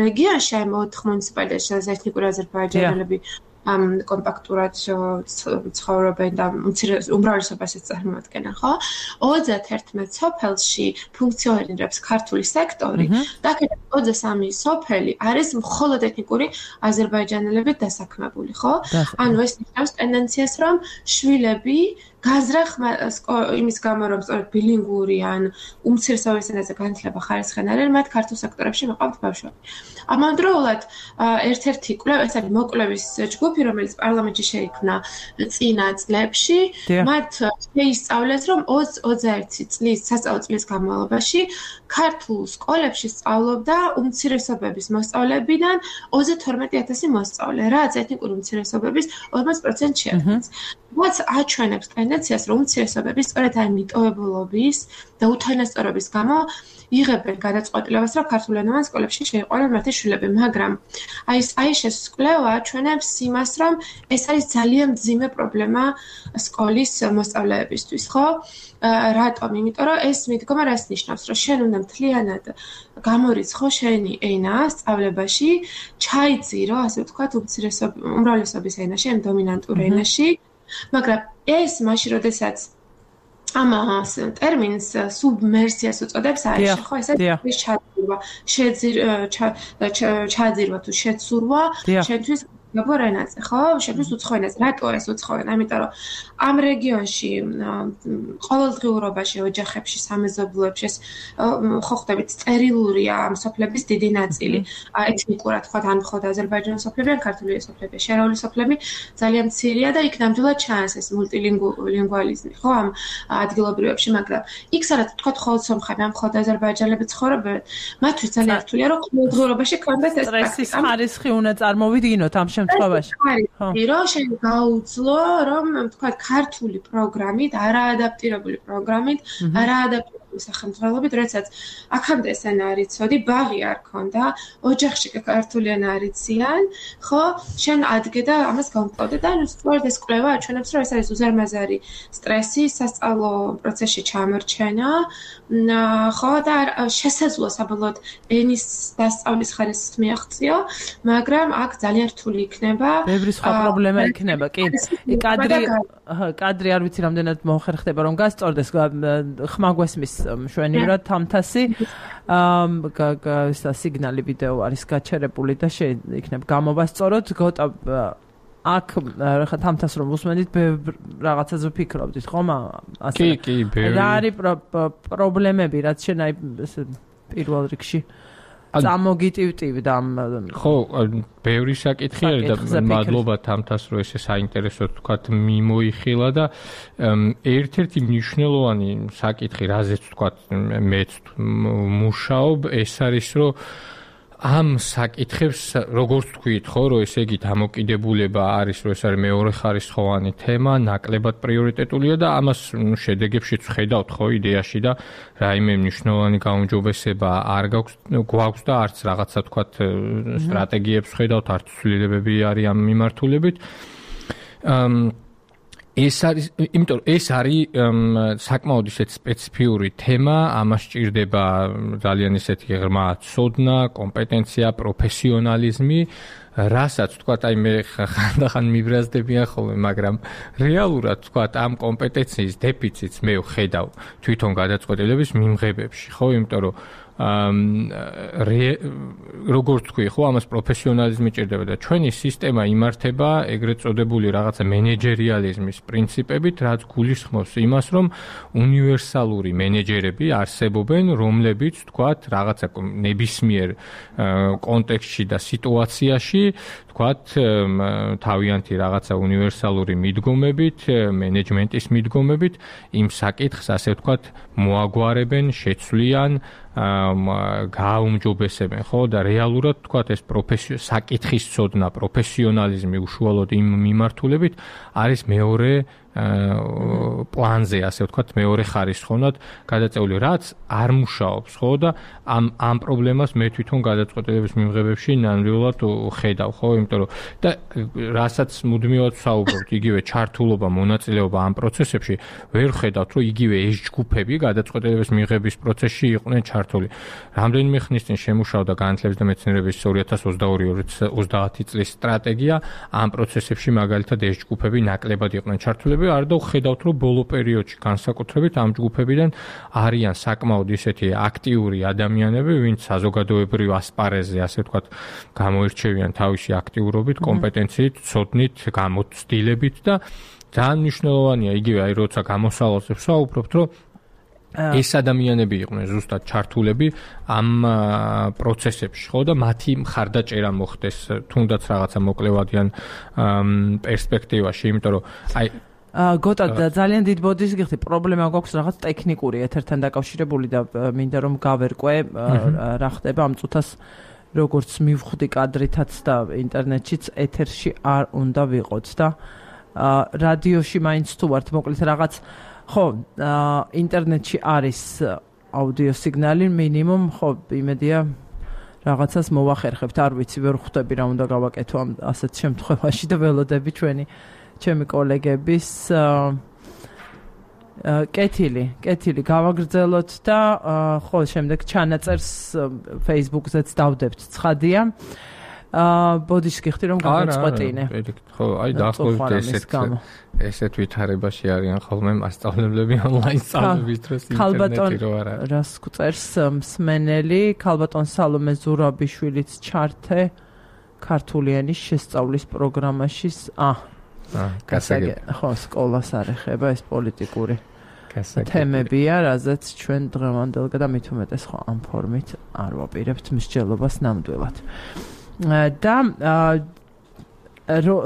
რეგიონში აი ოთხ მუნიციპალიტეტში ეთნიკური აზერბაიჯანელები ამ კომპაქტურად ცხოვრობენ და უმრავლესობას წარმოადგენენ, ხო? ოცდაერთმეტ სოფელში ფუნქციონირებს ქართული სექტორი და ოცდასამი სოფელი არის მხოლოდ ეთნიკური აზერბაიჯანელებით დასაქმებული, ხო? ანუ ეს ნიშნავს ტენდენციას, რომ შვილები გაზრახ იმის გამო, რომ სწორედ ბილინგური ან უმცირესობის ენაზე განათლება ხარისხიან არიან, მათ ქართულ სექტორებში მოყავთ ბავშვები. ამავდროულად ერთ-ერთი კვლევა, ეს არის მოკვლევის ჯგუფი, რომელიც პარლამენტში შეიქმნა წინა წლებში, მათ შეისწავლეს, რომ ოცდაერთი წლის სასწავლო წლის განმავლობაში ქართულ სკოლებში სწავლობდა უმცირესობების მოსწავლებიდან ოცდათორმეტი ათასი მოსწავლე, რაც ეთნიკური უმცირესობების ორმოც პროცენტს შეადგენს. რაც აჩვენებს ტენდენციას, რომ უმცირესობები სწორედ აი მიტოვებულობის და უთანასწორობის გამო იღებენ გადაწყვეტილებას, რომ ქართულენოვან სკოლებში შეიყვანონ მათი შვილები, მაგრამ აი ეს აიშეს კვლევა აჩვენებს იმას, რომ ეს არის ძალიან მძიმე პრობლემა სკოლის მოსწავლეებისთვის, ხო? რატომ? იმიტომ რომ ეს მიდგომა რას ნიშნავს, რომ შენ უნდა მთლიანად გამორიცხო შენი ენა სწავლებაში, ჩაიძირო, ასე ვთქვათ, უმრავლესობის ენაში, ამ დომინანტურ ენაში, მაგრამ ეს მაშინ, როდესაც ამას ტერმინს სუბმერსიას უწოდებს არის, ხო, ესე ის ჩაძირვა, ჩაძირვა თუ შეცურვა, შენთვის გაბორ ენაზე, ხო? შენთვის უცხო ენაზე. რატო ეს უცხო ენა? ამიტომ რომ ამ რეგიონში ყოველდღიურობაში ოჯახებში, სამეზობლოებში ხო ხდებით წერილურია ამ სოფლების დიდი ნაწილი. ეთნიკურად თქვა ან მხოლოდ აზერბაიჯანის სოფლები, ან ქართული სოფლები, შერეული სოფლები ძალიან მცირეა და იქ ნამდვილად ჩანს ეს მულტილინგუალიზმი, ხო, ამ ადგილობრივებში, მაგრამ იქ სადაც თქვა მხოლოდ სომხები, ან მხოლოდ აზერბაიჯანელები ცხოვრობენ, მათთვის ძალიან რთულია, რომ ყოველდღიურობაში კონდეთ ეს სტრესის ხარისხი უნდა წარმოვიდგინოთ ამ შემთხვევაში. ხო, რომ შენ გაუძლო, რომ თქვა ქართული პროგრამით, არაადაპტირებული პროგრამით, არაადაპტირებული სახელმძღვანელობით, როდესაც აქამდე ეს ენა არ იცოდი, ბაღი არ ქონდა, ოჯახში ქართული ენა არ იციან, ხო, შენ ადგე და ამას გამკლავდე და ნუ სწორედ ეს კვლევა აჩვენებს, რომ ეს არის უზარმაზარი სტრესი სასწავლო პროცესში ჩამორჩენა, ხო და შესაძლოა საბოლოოდ ენის დასწავლის ხარისხს მიაღწიო, მაგრამ აქ ძალიან რთული იქნება. ბევრი სხვა პრობლემა იქნება, კი. კადრი კადრი არ ვიცი რამდენად მოხერხდება რომ გასწორდეს ხმა გვესმის მშვენივრად თამთასი აა სიგნალი ვიდეო არის გაჩერებული და შეიქნებ გამოვასწოროთ გოტა აქ ხა თამთას რომ უსმენით რაღაცაზე ვფიქრობდით ხომ ასე კი კი ბევრი რა არის პრობლემები რაც შენ აი პირველ რიგში წამოგიტივტივდა ხო ბევრი საკითხი არის და მადლობა თამთას რომ ესე საინტერესო თქვა მიმოიხილა და ერთ-ერთი მნიშვნელოვანი საკითხი რაზეც თქვა მეც მუშაობ ეს არის რომ ამ საკითხებს როგორც თქვით ხო რომ ესე იგი დამოკიდებულება არის რომ ეს არის მეორე ხარისხოვანი თემა ნაკლებად პრიორიტეტულია და ამას შედეგებშიც ხედავთ ხო იდეაში და რაიმე მნიშვნელოვანი გაუმჯობესება არ გაქვს გვაქვს და არც რაღაცა თქვათ სტრატეგიებს ხედავთ არც ცვლილებები არის ამ მიმართულებით ეს არის იმიტომ რომ ეს არის საკმაოდ ისეთ სპეციფიური თემა, ამას სჭირდება ძალიან ისეთი ღრმა ცოდნა, კომპეტენცია, პროფესიონალიზმი, რასაც თქვა აი მე ხანდახან მიბრაზდებიან ხოლმე, მაგრამ რეალურად თქვა ამ კომპეტენციის დეფიციტს მე ვხედავ თვითონ გადაწყვეტილების მიმღებებში, ხო, იმიტომ რომ როგორც თქვი ხო ამას პროფესიონალიზმი ჭირდება და ჩვენი სისტემა იმართება ეგრეთ წოდებული რაღაცა მენეჯერიალიზმის პრინციპებით, რაც გულისხმობს იმას, რომ უნივერსალური მენეჯერები არსებობენ, რომლებიც თქვათ რაღაცა ნებისმიერ კონტექსტში და სიტუაციაში თქვათ თავიანთი რაღაცა უნივერსალური მიდგომებით, მენეჯმენტის მიდგომებით იმ საკითხს ასე ვთქვათ მოაგვარებენ, შეცვლიან გააუმჯობესებენ ხო და რეალურად თქვათ ეს პროფესიო საკითხის ცოდნა, პროფესიონალიზმი უშუალოდ იმ მიმართულებით არის მეორე პლანზე, ასე ვთქვათ, მეორე ხარისხოვნად გადაწეული, რაც არ მუშაობს, ხო და ამ ამ პრობლემას მე თვითონ გადაწყვეტილების მიმღებებში ნამდვილად ხედავ, ხო, იმიტომ რომ და რასაც მუდმივად ვსაუბრობთ, იგივე ჩართულობა, მონაწილეობა ამ პროცესებში, ვერ ხედავთ, რომ იგივე ეს ჯგუფები გადაწყვეტილების მიღების პროცესში იყვნენ ჩართული. რამდენიმე ხნის წინ შემუშავდა განათლების და მეცნიერების ორი ათას ოცდაორი ოცდაათი წლის სტრატეგია, ამ პროცესებში მაგალითად ეს ჯგუფები ნაკლებად იყვნენ ჩართულები არ და ვხედავთ, რომ ბოლო პერიოდში განსაკუთრებით ამ ჯგუფებიდან არიან საკმაოდ ისეთი აქტიური ადამიანები, ვინც საზოგადოებრივ ასპარეზზე, ასე ვთქვათ, გამოირჩევიან თავისი აქტიურობით, კომპეტენციით, ცოდნით, გამოცდილებით და ძალიან მნიშვნელოვანია იგივე აი როცა გამოსავალზე ვსაუბრობთ, რომ ეს ადამიანები იყვნენ ზუსტად ჩართულები ამ პროცესებში, ხო და მათი მხარდაჭერა მოხდეს თუნდაც რაღაცა მოკლევადიან პერსპექტივაში, იმიტომ რომ აი გოტა ძალიან დიდ ბოდის გიხდი პრობლემა გვაქვს რაღაც ტექნიკური ეთერთან დაკავშირებული და მინდა რომ გავერკვე რა ხდება ამ წუთას როგორც მივხვდი კადრითაც და ინტერნეტშიც ეთერში არ უნდა ვიყოთ და რადიოში მაინც თუ ვართ მოკლედ რაღაც ხო ინტერნეტში არის აუდიო სიგნალი მინიმუმ ხო იმედია რაღაცას მოვახერხებთ არ ვიცი ვერ ხვდები რა უნდა გავაკეთო ამ ასეთ შემთხვევაში და ველოდები ჩვენი ჩემი კოლეგების კეთილი, კეთილი გავაგრძელოთ და ხო შემდეგ ჩანაწერს Facebook-ზეც დავდებთ, ცხადია. ბოდიშს გიხდი რომ გავაწყვეტინე. ხო, აი დაახლოებით ესეთ ესეთ ვითარებაში არიან ხოლმე მასწავლებლები ონლაინ სწავლების დროს ინტერნეტი რო არ არის. რას გვწერს მსმენელი, ქალბატონ სალომე ზურაბიშვილიც ჩართე ქართული ენის შესწავლის პროგრამაში. აა გასაგები ხო სკოლას არ ეხება ეს პოლიტიკური თემებია, რაზეც ჩვენ დღევანდელ და მით უმეტეს ხო ამ ფორმით არ ვაპირებთ მსჯელობას ნამდვილად. და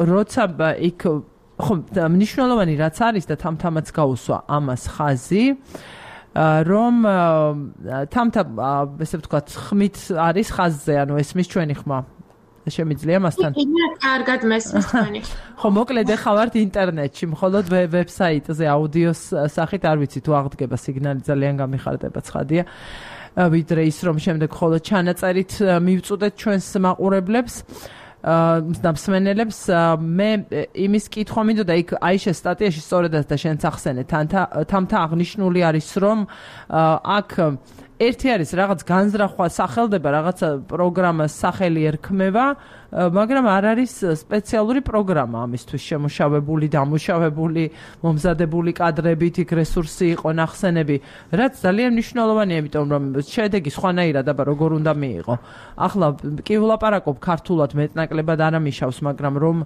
როცა იქ ხო მნიშვნელოვანი რაც არის და თამთამაც გაუსვა ამას ხაზი რომ თამთა ესე ვთქვათ ხმით არის ხაზზე, ანუ ესმის ჩვენი ხმა შემიძლია მასთან? მე კარგად მესმის თქვენი. ხო, მოკლედ ახლა ვართ ინტერნეტში, მხოლოდ ვებსაიტზე აუდიოს სახით არ ვიცი თუ აღდგება სიგნალი, ძალიან გამიხარდება, ცხადია. ვიდრე ის რომ შემდეგ მხოლოდ ჩანაწერით მივწუდეთ ჩვენს მაყურებლებს. და მსმენელებს მე იმის კითხვა მინდოდა იქ აიშეს სტატიაში სწორედაც და შენც ახსენე თამთა აღნიშნული არის რომ აქ ერთი არის რაღაც განზრახვა სახელდება რაღაცა პროგრამას სახელი ერქმევა მაგრამ არ არის სპეციალური პროგრამა ამისთვის შემუშავებული დამუშავებული მომზადებული კადრებით იქ რესურსი იყო ნახსენები რაც ძალიან მნიშვნელოვანია იმიტომ რომ შედეგი სხვანაირად აბა როგორ უნდა მიიღო ახლა კი ვლაპარაკობ ქართულად მეტნაკლებად არ ამიშავს მაგრამ რომ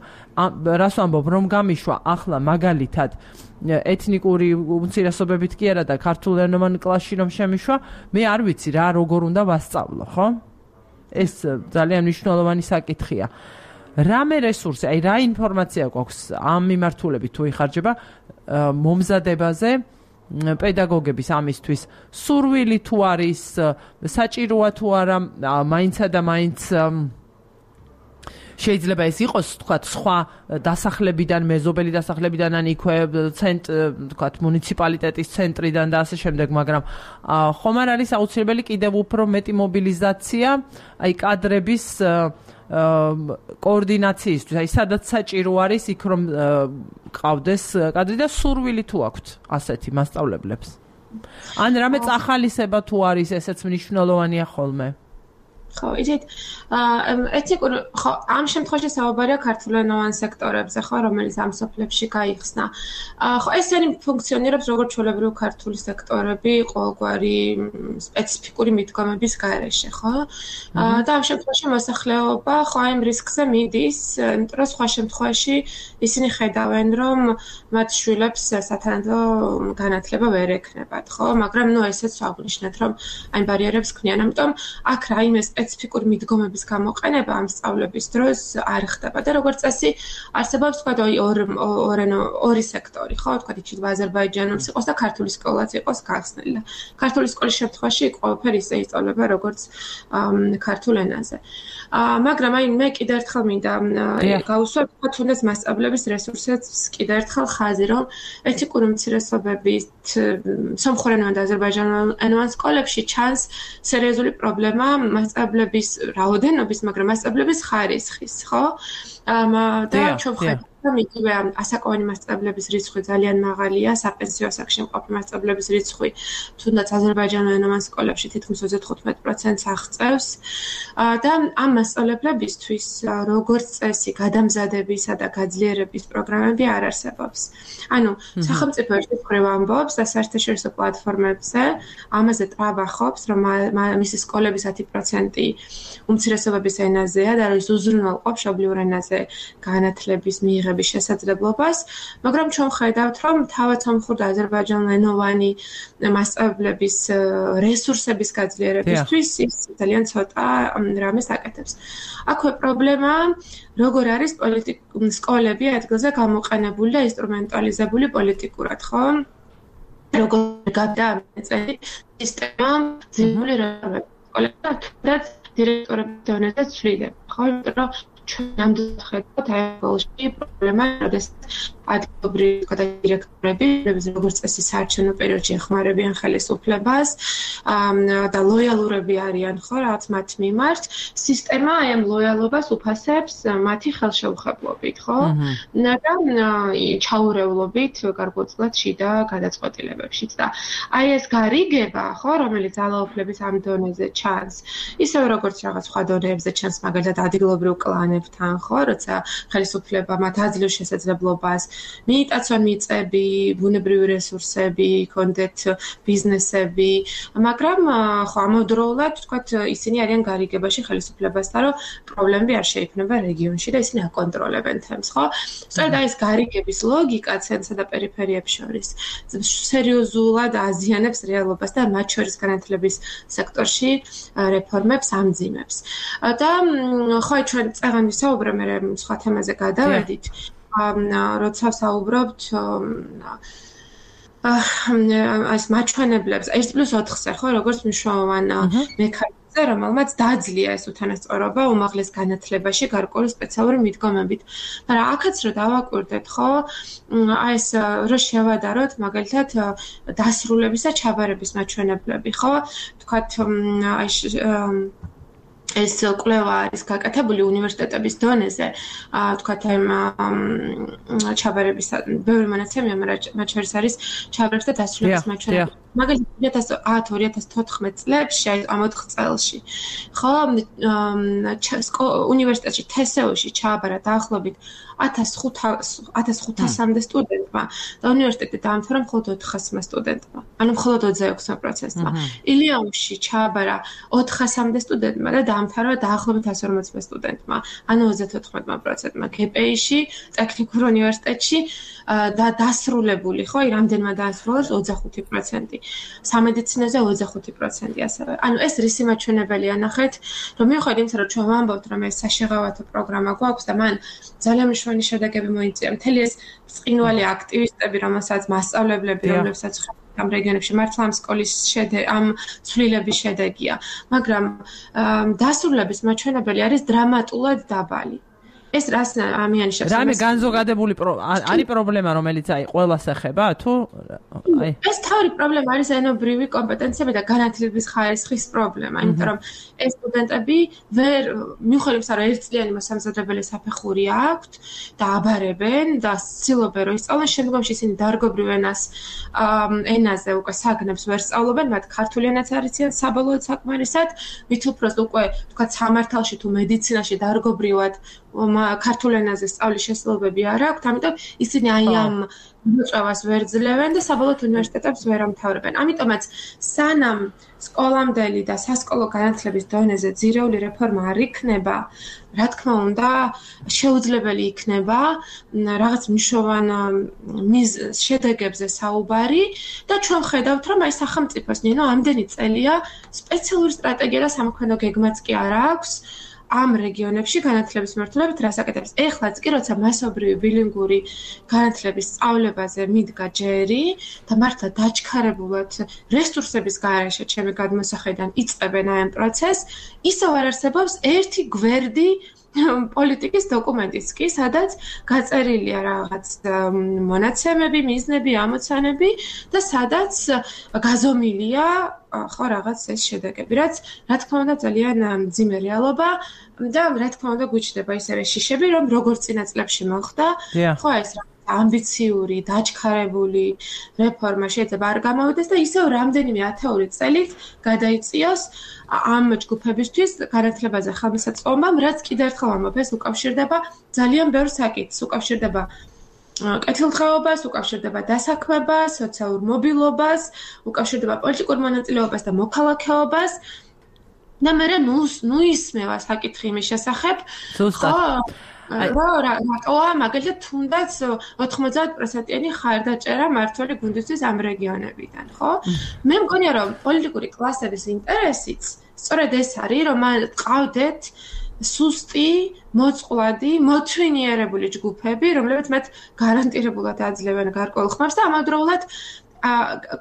რას ვამბობ რომ გამიშვა ახლა მაგალითად ეთნიკური უმცირესობებით კი არა და ქართულენოვან კლასში რომ შემიშვა მე არ ვიცი რა როგორ უნდა ვასწავლო ხო ეს ძალიან მნიშვნელოვანი საკითხია რამე რესურსი აი რა ინფორმაცია გვაქვს ამ მიმართულებით თუ იხარჯება მომზადებაზე პედაგოგების ამისთვის სურვილი თუ არის საჭიროა თუ არა მაინცა და მაინც შეიძლება ეს იყოს თქვათ სხვა დასახლებიდან მეზობელი დასახლებიდან ან იქვე ცენტ თქვათ მუნიციპალიტეტის ცენტრიდან და ასე შემდეგ მაგრამ ხომ არ არის აუცილებელი კიდევ უფრო მეტი მობილიზაცია აი კადრების კოორდინაციისთვის აი სადაც საჭირო არის იქ რომ ყავდეს კადრი და სურვილი თუ აქვთ ასეთი მასწავლებლებს ან რამე წახალისება თუ არის ესეც მნიშვნელოვანია ხოლმე ხო, იცით, ეთნიკურ ხო, ამ შემთხვევაში საუბარია ქართულენოვან სექტორებზე, ხო, რომელიც ამ სოფლებში გაიხსნა. ხო, ეს არის ფუნქციონირებს როგორც ჩვეულებრივი ქართული სექტორები, ყოველგვარი სპეციფიკური მიდგომების გარეშე, ხო? და ამ შემთხვევაში მოსახლეობა ხო ამ რისკზე მიდის, იმიტომ რომ სხვა შემთხვევაში ისინი ხედავენ, რომ მათ შვილებს სათანადო განათლება ვერ ექნებათ, ხო? მაგრამ ნუ ესეც აღნიშნეთ, რომ აი ბარიერებს ქმნიან, ამიტომ აქ რაიმე სპეციფიკური მიდგომების გამოყენება ამ სწავლების დროს არ ხდება და როგორც წესი არსებობს თქვა ორი ორი სექტორი ხო თქვა იქით აზერბაიჯანულს იყოს და ქართული სკოლაც იყოს გახსნილი და ქართული სკოლის შემთხვევაში ყველაფერი ისე ისწავლება როგორც ქართულ ენაზე მაგრამ აი მე კიდევ ერთხელ მინდა გავუსვა თქვა თუნდაც მასწავლებლების რესურსებს კიდევ ერთხელ ხაზი რომ ეთნიკური უმცირესობების სომხურენოვან და აზერბაიჯანულენოვან სკოლებში ჩანს სერიოზული პრობლემა მასწავლებლების რაოდენობის, მაგრამ მასწავლებლების ხარისხის, ხო? და ჩვენ ხედავთ რომ იგივე ასაკოვანი მასწავლებლების რიცხვი ძალიან მაღალია, საპენსიო ასაკში მყოფი მასწავლებლების რიცხვი თუნდაც აზერბაიჯანულენოვან სკოლებში თითქმის ოცდათხუთმეტ პროცენტს აღწევს და ამ მასწავლებლებისთვის როგორც წესი გადამზადებისა და გაძლიერების პროგრამები არ არსებობს. ანუ სახელმწიფო ერთის მხრივ ამბობს და საერთაშორისო პლატფორმებზე ამაზე ტრაბახობს, რომ მისი სკოლების ათი პროცენტი უმცირესობების ენაზეა და ის უზრუნველყოფს მშობლიურ ენაზე განათლების მიღების შესაძლებლობას, მაგრამ ჩვენ ხედავთ, რომ თავად სომხურ და აზერბაიჯანულენოვანი მასწავლებლების რესურსების გაძლიერებისთვის ის ძალიან ცოტა რამეს აკეთებს. აქვე პრობლემა როგორ არის პოლიტიკურ სკოლები ადგილზე გამოყენებული და ინსტრუმენტალიზებული პოლიტიკურად, ხო? როგორ გადაამეწელი სისტემა ძიმული რეформები სკოლებში და დირექტორების დონეზე ცვლიდება, ხო? იმიტომ რომ ჩვენ ამდენად ხედავთ აი სკოლაში პრობლემა, როდესაც ადგილობრივი დირექტორები, როგორც წესი საარჩევნო პერიოდში ეხმარებიან ხელისუფლებას და ლოიალურები არიან, ხო, რაც მათ მიმართ, სისტემა აი ამ ლოიალობას უფასებს მათი ხელშეუხებლობით, ხო? და ჩაურევლობით გარკვეულწილად შიდა გადაწყვეტილებებშიც და აი ეს გარიგება, ხო, რომელიც ძალაუფლების ამ დონეზე ჩანს, ისევე როგორც რაღაც სხვა დონეებზე ჩანს, მაგალითად ადგილობრივ კლანებთან, ხო, როცა ხელისუფლება მათ აძლევს შესაძლებლობას მიიტაცონ მიწები, ბუნებრივი რესურსები, კონდეთ ბიზნესები, მაგრამ ხო ამავდროულად თქვათ ისინი არიან გარიგებაში ხელისუფლებასთან, რომ პრობლემები არ შეიქმნება რეგიონში და ისინი აკონტროლებენ თემს, ხო? სწორედ აი ეს გარიგების ლოგიკა ცენტრსა და პერიფერიებს შორის სერიოზულად აზიანებს რეალობას და მათ შორის განათლების სექტორში რეფორმებს ამძიმებს. და ხო ჩვენ წაღან ვისაუბრე მე სხვა თემაზე გადავედით. როცა საუბრობთ ეს მაჩვენებლებს ერთ პლუს ოთხზე ხო როგორც მნიშვნელოვან მექანიზმს მოღვაწე, რომელმაც დაძლია ეს უთანასწორობა უმაღლეს განათლებაში გარკვეული სპეციალური მიდგომებით. მაგრამ აქაც რო დავაკვირდეთ, ხო, აი ეს რო შევადაროთ, მაგალითად, დასრულებისა ჩაბარების მაჩვენებლები, ხო? თქვათ, აი ეს კვლევა არის გაკეთებული უნივერსიტეტების დონეზე, თქვათ აი ჩაბარების ბევრი მონაცემია, მაგრამ მათ შორის არის ჩაბარების და დასრულების მაჩვენებლები. მაგალითად ორი ათას ათ ორი ათას თოთხმეტ წლებში, აი ამ ოთხ წელში, ხო, უნივერსიტეტში თესეუში ჩააბარა დაახლოებით ათას ხუთასამდე სტუდენტმა და უნივერსიტეტი დაამთავრა მხოლოდ ოთხასმა სტუდენტმა, ანუ მხოლოდ ოცდაექვსმა პროცენტმა. ილიაუმში ჩააბარა ოთხასამდე სტუდენტმა და დაამთავრა დაახლოებით ასი ორმოცმა სტუდენტმა, ანუ ოცდათოთხმეტმა პროცენტმა. კეპეიში, ტექნიკურ უნივერსიტეტში და დასრულებული, ხო, რამდენმა დაასრულეს ოცდახუთი პროცენტი. სამედიცინოზე ოცდახუთი პროცენტი ასევე. ანუ ეს რისი მაჩვენებელია ნახეთ, რომ მიუხედავად იმისა, რომ ჩვენ ვამბობთ, რომ ეს საშეღავათო პროგრამა გვაქვს და მან ძალიან მნიშვნელოვანი შედეგები მოიწია. მთელი ეს ბრწყინვალე აქტივისტები, რომელსაც მასწავლებლები, რომლებსაც ამ რეგიონებში მართლა ამ სკოლის შედეგი, ამ ცვლილების შედეგია, მაგრამ დასრულების მაჩვენებელი არის დრამატულად დაბალი. ეს რას ამიანიშნავს? რამე განზოგადებული არის პრობლემა, რომელიც აი ყველას ეხება, თუ აი ეს თავი პრობლემა არის ენობრივი კომპეტენციები და განათლების ხარისხის პრობლემა, იმიტომ რომ ეს სტუდენტები ვერ მიუხედავად იმისა, რომ ერთწლიანი მოსამზადებელი საფეხური აქვთ და აბარებენ და ცდილობენ რომ ისწავლონ, შემდგომში ისინი დარგობრივ ენას ენაზე უკვე საგნებს ვერ სწავლობენ, მათ ქართული ენაც არ იციან საბოლოოდ საკმარისად, მით უბრალოდ უკვე თქვა სამართალში თუ მედიცინაში დარგობრივად ქართულ ენაზე სწავლის შესაძლებლობები არ აქვთ, ამიტომ ისინი აი ამ მოწვევას ვერ ძლევენ და საბოლოოდ უნივერსიტეტებს ვერ ამთავრებენ. ამიტომაც სანამ სკოლამდელი და სასკოლო განათლების დონეზე ძირეული რეფორმა არ იქნება, რა თქმა უნდა, შეუძლებელი იქნება რაღაც მნიშვნელოვან შედეგებზე საუბარი და ჩვენ ხედავთ, რომ აი სახელმწიფოს ნინო ამდენი წელია სპეციალური სტრატეგია და სამოქმედო გეგმაც კი არ აქვს. ამ რეგიონებში განათლების მმართველობით რას აკეთებს? ეხლაც კი როცა მასობრივი ბილინგური განათლების სწავლებაზე მიდგა ჯერი და მართლა დაჩქარებულად რესურსების გარეშე ჩემი გადმოსახედიდან იწყებენ აი ამ პროცესს, ისევ არ არსებობს ერთი გვერდი პოლიტიკის დოკუმენტიც კი, სადაც გაწერილია რაღაც მონაცემები, მიზნები, ამოცანები და სადაც გაზომილია ხო რაღაც ეს შედეგები, რაც რა თქმა უნდა ძალიან მძიმე რეალობა და რა თქმა უნდა გვიჩნდება ისევე შიშები, რომ როგორც წინა წლებში მოხდა, ხო ეს ამბიციური, დაჩქარებული რეფორმა შეიძლება არ გამოვიდეს და ისევ რამდენიმე ათეული წელით გადაიწიოს ამ ჯგუფებისთვის განათლებაზე ხელმისაწვდომამ, რაც კიდევ ერთხელ ამბობ, ეს უკავშირდება ძალიან ბევრ საკითხს, უკავშირდება კეთილდღეობას, უკავშირდება დასაქმებას, სოციალურ მობილობას, უკავშირდება პოლიტიკურ მონაწილეობას და მოქალაქეობას. და მე ნუ ისმევა საკითხი იმის შესახებ, ხო, რა რატოა მაგალითად თუნდაც ოთხმოცდაათ პროცენტიანი ხარდაჭერა მმართველი გუნდისთვის ამ რეგიონებიდან, ხო? მე მგონია რომ პოლიტიკური კლასების ინტერესიც სწორედ ეს არის, რომ ყავდეთ სუსტი, მოწყვლადი, მოთვინიერებული ჯგუფები, რომლებიც მათ გარანტირებულად აძლევენ გარკვეულ ხმებს და ამავდროულად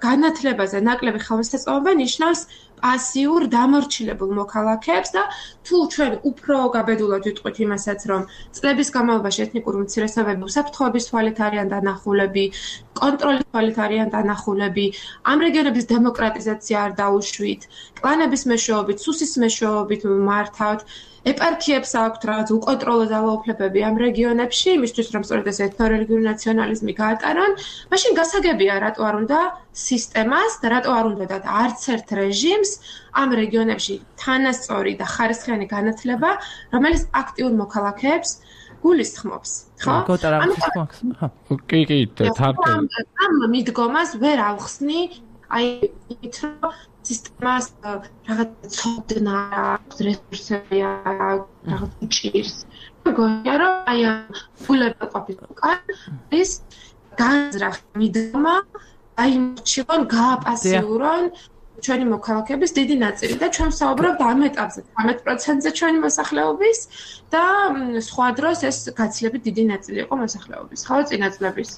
განათლებაზე ნაკლები ხელმისაწვდომობა ნიშნავს პასიურ დამორჩილებულ მოქალაქეებს და თუ ჩვენ უფრო გაბედულად ვიტყვით იმასაც, რომ წლების განმავლობაში ეთნიკური უმცირესობები უსაფრთხოების თვალით არიან დანახულები, კონტროლის თვალით არიან დანახულები, ამ რეგიონების დემოკრატიზაცია არ დაუშვით, კლანების მეშვეობით, სუსის მეშვეობით მართავთ, ეპარქიებს აქვთ რაღაც უკონტროლო ძალაუფლებები ამ რეგიონებში, იმისთვის რომ სწორედ ეს ეთნორელიგიური ნაციონალიზმი გაატარონ, მაშინ გასაგებია რატო არ უნდა სისტემას და რატო არ უნდა და არც ერთ რეჟიმს ამ რეგიონებში თანასწორი და ხარისხიანი განათლება, რომელიც აქტიურ მოქალაქეებს გულისხმობს, ხო? კი, კი, ამ ამ მიდგომას ვერ ავხსნი, აი ით რომ სისტემას რაღაც ცოდნა აქვს, რესურსები აქვს, რაღაც ჭირს. მგონია რომ აი ამ ულებაყოფის უკან განზრახ მიდგომა აიმორჩილონ, გააპასიურონ ჩვენი მოქალაქეების დიდი ნაწილი და ჩვენ საუბრობთ ამ ეტაპზე თორმეტ პროცენტზე ჩვენი მოსახლეობის და სხვა დროს ეს გაცილებით დიდი ნაწილი იყო მოსახლეობის. ხო, წინა წლების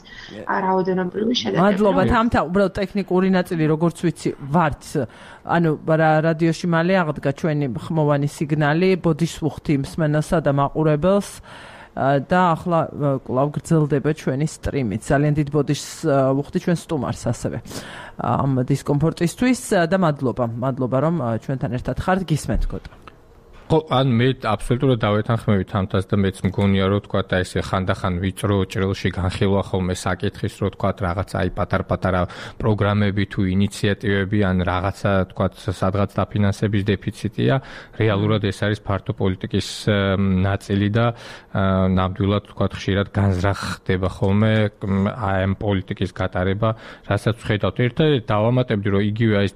რაოდენობრივი შედეგები. მადლობა, თამთა, უბრალოდ ტექნიკური ნაწილი, როგორც ვიცი, ვართ. ანუ რადიოში მალე აღდგა ჩვენი ხმოვანი სიგნალი, ბოდიშს ვუხდი მსმენელსა და მაყურებელს. და ახლა კვლავ გრძელდება ჩვენი სტრიმით. ძალიან დიდ ბოდიშს ვუხდი ჩვენ სტუმარს ასევე ამ დისკომფორტისთვის და მადლობა. მადლობა რომ ჩვენთან ერთად ხართ, გისმენთ გოტო. ხო, ან მე აბსოლუტურად დავეთანხმებით ამთას და მეც მგონია რომ თქვა და ესე ხანდახან ვიწრო ჭრილში განხილვა ხოლმე საკითხის რომ თქვა რაღაცა აი პატარ-პატარა პროგრამები თუ ინიციატივები ან რაღაცა თქვა სადღაც დაფინანსების დეფიციტია, რეალურად ეს არის ფართო პოლიტიკის ნაწილი და ნამდვილად თქვა ხშირად განზრახდება ხოლმე აი ამ პოლიტიკის გატარება, რასაც ვხედავთ. ერთადერთი დავამატებდი რომ იგივე ეს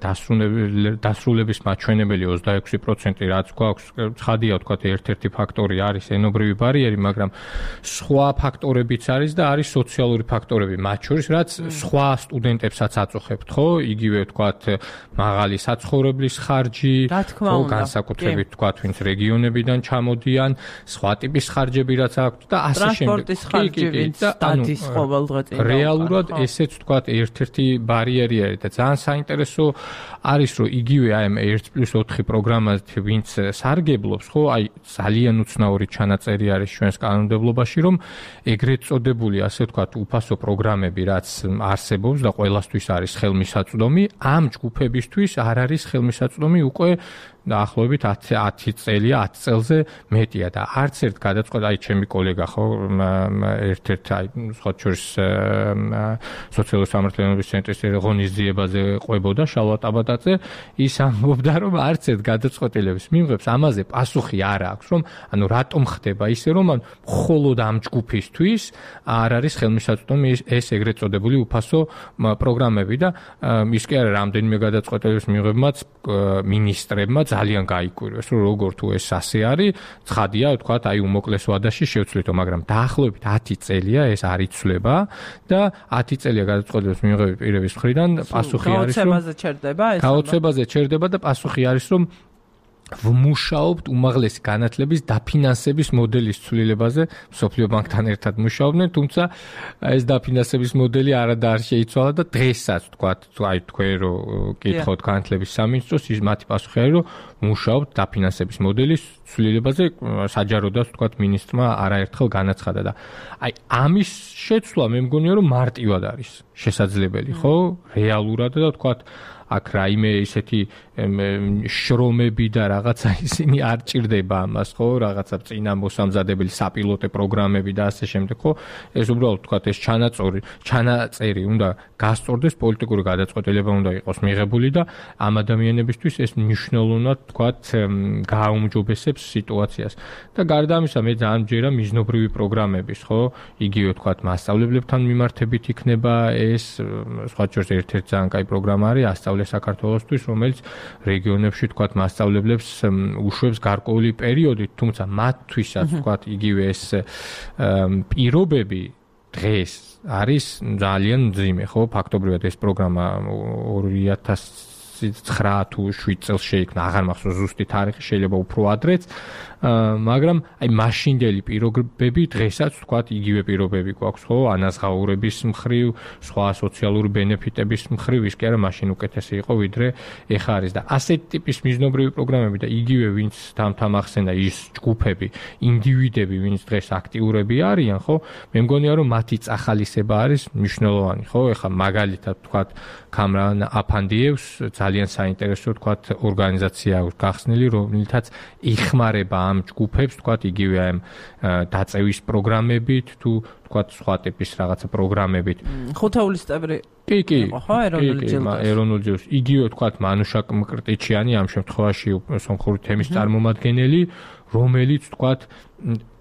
დასრულების მაჩვენებელი ოცდაექვსი პროცენტი რაც გვაქვს ცხადია თქვა ერთ-ერთი ფაქტორი არის ენობრივი ბარიერი, მაგრამ სხვა ფაქტორებიც არის და არის სოციალური ფაქტორები, მათ შორის რაც სხვა სტუდენტებსაც აწუხებთ, ხო? იგივე თქვა მაღალი საცხოვრებლის ხარჯი, ხო, განსაკუთრებით თქვა ვინც რეგიონებიდან ჩამოდიან, სხვა ტიპის ხარჯები რაც აქვთ და ასე შემდეგ. ტრანსპორტის ხარჯი, ვინც დადის ყოველდღე წინ. რეალურად ესეც თქვა ერთ-ერთი ბარიერი არის და ძალიან საინტერესო არის რომ იგივე აი ამ ერთი პლუს ოთხი პროგრამაზე ვინც სარგებლობს, ხო, აი ძალიან უცნაური ჩანაწერი არის ჩვენს კანონმდებლობაში, რომ ეგრეთ წოდებული, ასე ვთქვათ, უფასო პროგრამები, რაც არსებობს და ყველასთვის არის ხელმისაწვდომი, ამ ჯგუფებისთვის არ არის ხელმისაწვდომი უკვე დაახლოებით ათი წელია, ათი წელზე მეტია და არც ერთ გადაწყვეტა, აი ჩემი კოლეგა ხო, ერთ-ერთ აი სხვა შორის სოციალური სამართლიანობის ცენტრის ღონისძიებაზე ყვებოდა შალვა ტაბატაძე, ის ამბობდა, რომ არც ერთ გადაწყვეტილების მიმღებს ამაზე პასუხი არ აქვს, რომ ანუ რატომ ხდება ისე, რომ მხოლოდ ამ ჯგუფისთვის არ არის ხელმისაწვდომი ეს ეგრეთ წოდებული უფასო პროგრამები და ის კი არა რამდენიმე გადაწყვეტილების მიმღებმაც მინისტრებმა ძალიან გაიკვირვეს, რომ როგორ თუ ეს ასე არის, ცხადია, ვთქვათ, აი უმოკლეს ვადაში შევცვლითო, მაგრამ დაახლოებით ათი წელია ეს არ იცვლება და ათი წელია გადაწყვეტილების მიმღები პირების მხრიდან პასუხი არის, რომ გაოცებაზე ჩერდება ეს. გაოცებაზე ჩერდება და პასუხი არის, რომ ვმუშაობთ უმაღლესი განათლების დაფინანსების მოდელის ცვლილებაზე, მსოფლიო ბანკთან ერთად მუშაობდნენ, თუმცა ეს დაფინანსების მოდელი არადა არ შეიცვალა და დღესაც თქვათ, აი თქვენ რო კითხოთ განათლების სამინისტროს, ის მათი პასუხი არის, რომ მუშაობთ დაფინანსების მოდელის ცვლილებაზე, საჯაროდაც თქვათ მინისტრმა არაერთხელ განაცხადა და აი ამის შეცვლა მე მგონია რომ მარტივად არის შესაძლებელი, ხო? რეალურად და თქვათ აქ რაიმე ისეთი შრომები და რაღაცა ისინი არ ჭირდება ამას, ხო? რაღაცა წინა მოსამზადებელი საპილოტე პროგრამები და ასე შემდეგ, ხო? ეს უბრალოდ თქვათ ეს ჩანაწერი, ჩანაწერი უნდა გასწორდეს, პოლიტიკური გადაწყვეტილება უნდა იყოს მიღებული და ამ ადამიანებისთვის ეს მნიშვნელოვნად თქვათ გააუმჯობესებს სიტუაციას. და გარდა ამისა მე ძალიან მჯერა მიზნობრივი პროგრამების, ხო? იგივე თქვათ მასწავლებლებთან მიმართებით იქნება ეს, სხვა შორის ერთ-ერთი ძალიან კაი პროგრამა არის ასწავლე საქართველოსთვის, რომელიც რეგიონებში თქვათ მასწავლებლებს უშვებს გარკვეული პერიოდით, თუმცა მათთვისაც თქვათ იგივე ეს პირობები დღეს არის ძალიან მძიმე, ხო? ფაქტობრივად ეს პროგრამა ორი ათასი ცხრა თუ შვიდ წელს შეიქმნა, აღარ მახსოვს ზუსტი თარიღი, შეიძლება უფრო ადრეც, მაგრამ აი მაშინდელი პირობები დღესაც თქვათ იგივე პირობები გვაქვს, ხო? ანაზღაურების მხრივ, სხვა სოციალური ბენეფიტების მხრივ, ის კი არა მაშინ უკეთესი იყო, ვიდრე ეხა არის და ასეთი ტიპის მიზნობრივი პროგრამები და იგივე ვინც თამთამახსენდა ის ჯგუფები, ინდივიდები, ვინც დღეს აქტიურები არიან, ხო? მე მგონია რომ მათი წახალისება არის მნიშვნელოვანი, ხო? ეხა მაგალითად თქვათ კამრან აფანდიევს ძალიან საინტერესო თქვათ ორგანიზაცია აქვს გახსნილი, რომელთაც იხმარება ამ ჯგუფებს, თქვათ იგივე ამ დაწევის პროგრამებით თუ თქვათ სხვა ტიპის რაღაცა პროგრამებით. ხუთეულის წევრი. კი, კი. ხო, ეროვნული ჯილდოს. ეროვნული ჯილდოს. იგივე თქვათ მანუშა მკრტიჩიანი ამ შემთხვევაში სომხური თემის წარმომადგენელი, რომელიც თქვათ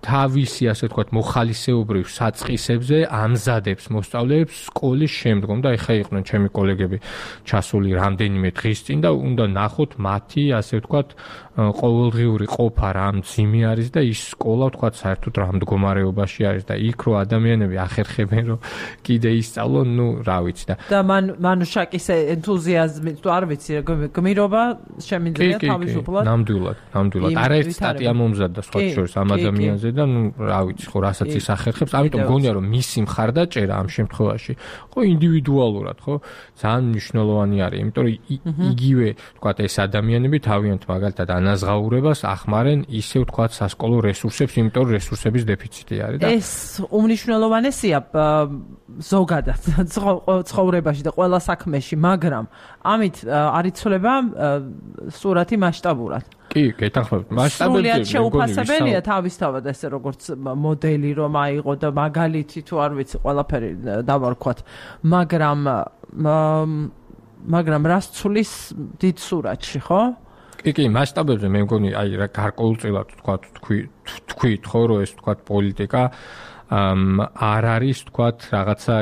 თავისი ასე ვთქვათ მოხალისეობრივ საწყისებზე ამზადებს მოსწავლეებს სკოლის შემდგომ და ეხა იყვნენ ჩემი კოლეგები ჩასული რამდენიმე დღის წინ და უნდა ნახოთ მათი ასე ვთქვათ ყოველდღიური ყოფა რა მძიმე არის და ის სკოლა ვთქვათ საერთოდ რა მდგომარეობაში არის და იქ რო ადამიანები ახერხებენ რომ კიდე ისწავლონ, ну, რა ვიცი და და მან მანუშაკის ენთუზიაზმი თუ არ ვიცი გმირობა შემიძლია თავისუფლად ნამდვილად ნამდვილად არაერთი სტატია მომზადდა სხვა შორის ამ ადამიანზე და ну, რა ვიცი ხო რასაც ის ახერხებს, ამიტომ გონია რომ მისი მხარდაჭერა ამ შემთხვევაში ხო ინდივიდუალურად ხო ძალიან მნიშვნელოვანი არის, იმიტომ რომ იგივე ვთქვათ ეს ადამიანები თავიანთ მაგალითად ანაზღაურებას ახმარენ ისე ვთქვათ სასკოლო რესურსებს, იმიტომ რომ რესურსების დეფიციტი არის და ეს უმნიშვნელოვანესია ზოგადად ცხოვრებაში და ყველა საქმეში, მაგრამ ამით არ იცვლება სურათი მასშტაბურად. კი, გეთანხმებით. მასშტაბები სრულიად შეუფასებელია თავისთავად ესე როგორც მოდელი რომ აიღო და მაგალითი თუ არ ვიცი ყველაფერი დავარქვათ, მაგრამ მაგრამ რას ცulis დიდ სურათში, ხო? კი, კი, მასშტაბებზე მე მგონი აი რა გარკვეულწილად ვთქვათ თქვი თქვით ხო რომ ეს ვთქვათ პოლიტიკა ამ არ არის ვთქვათ რაღაცა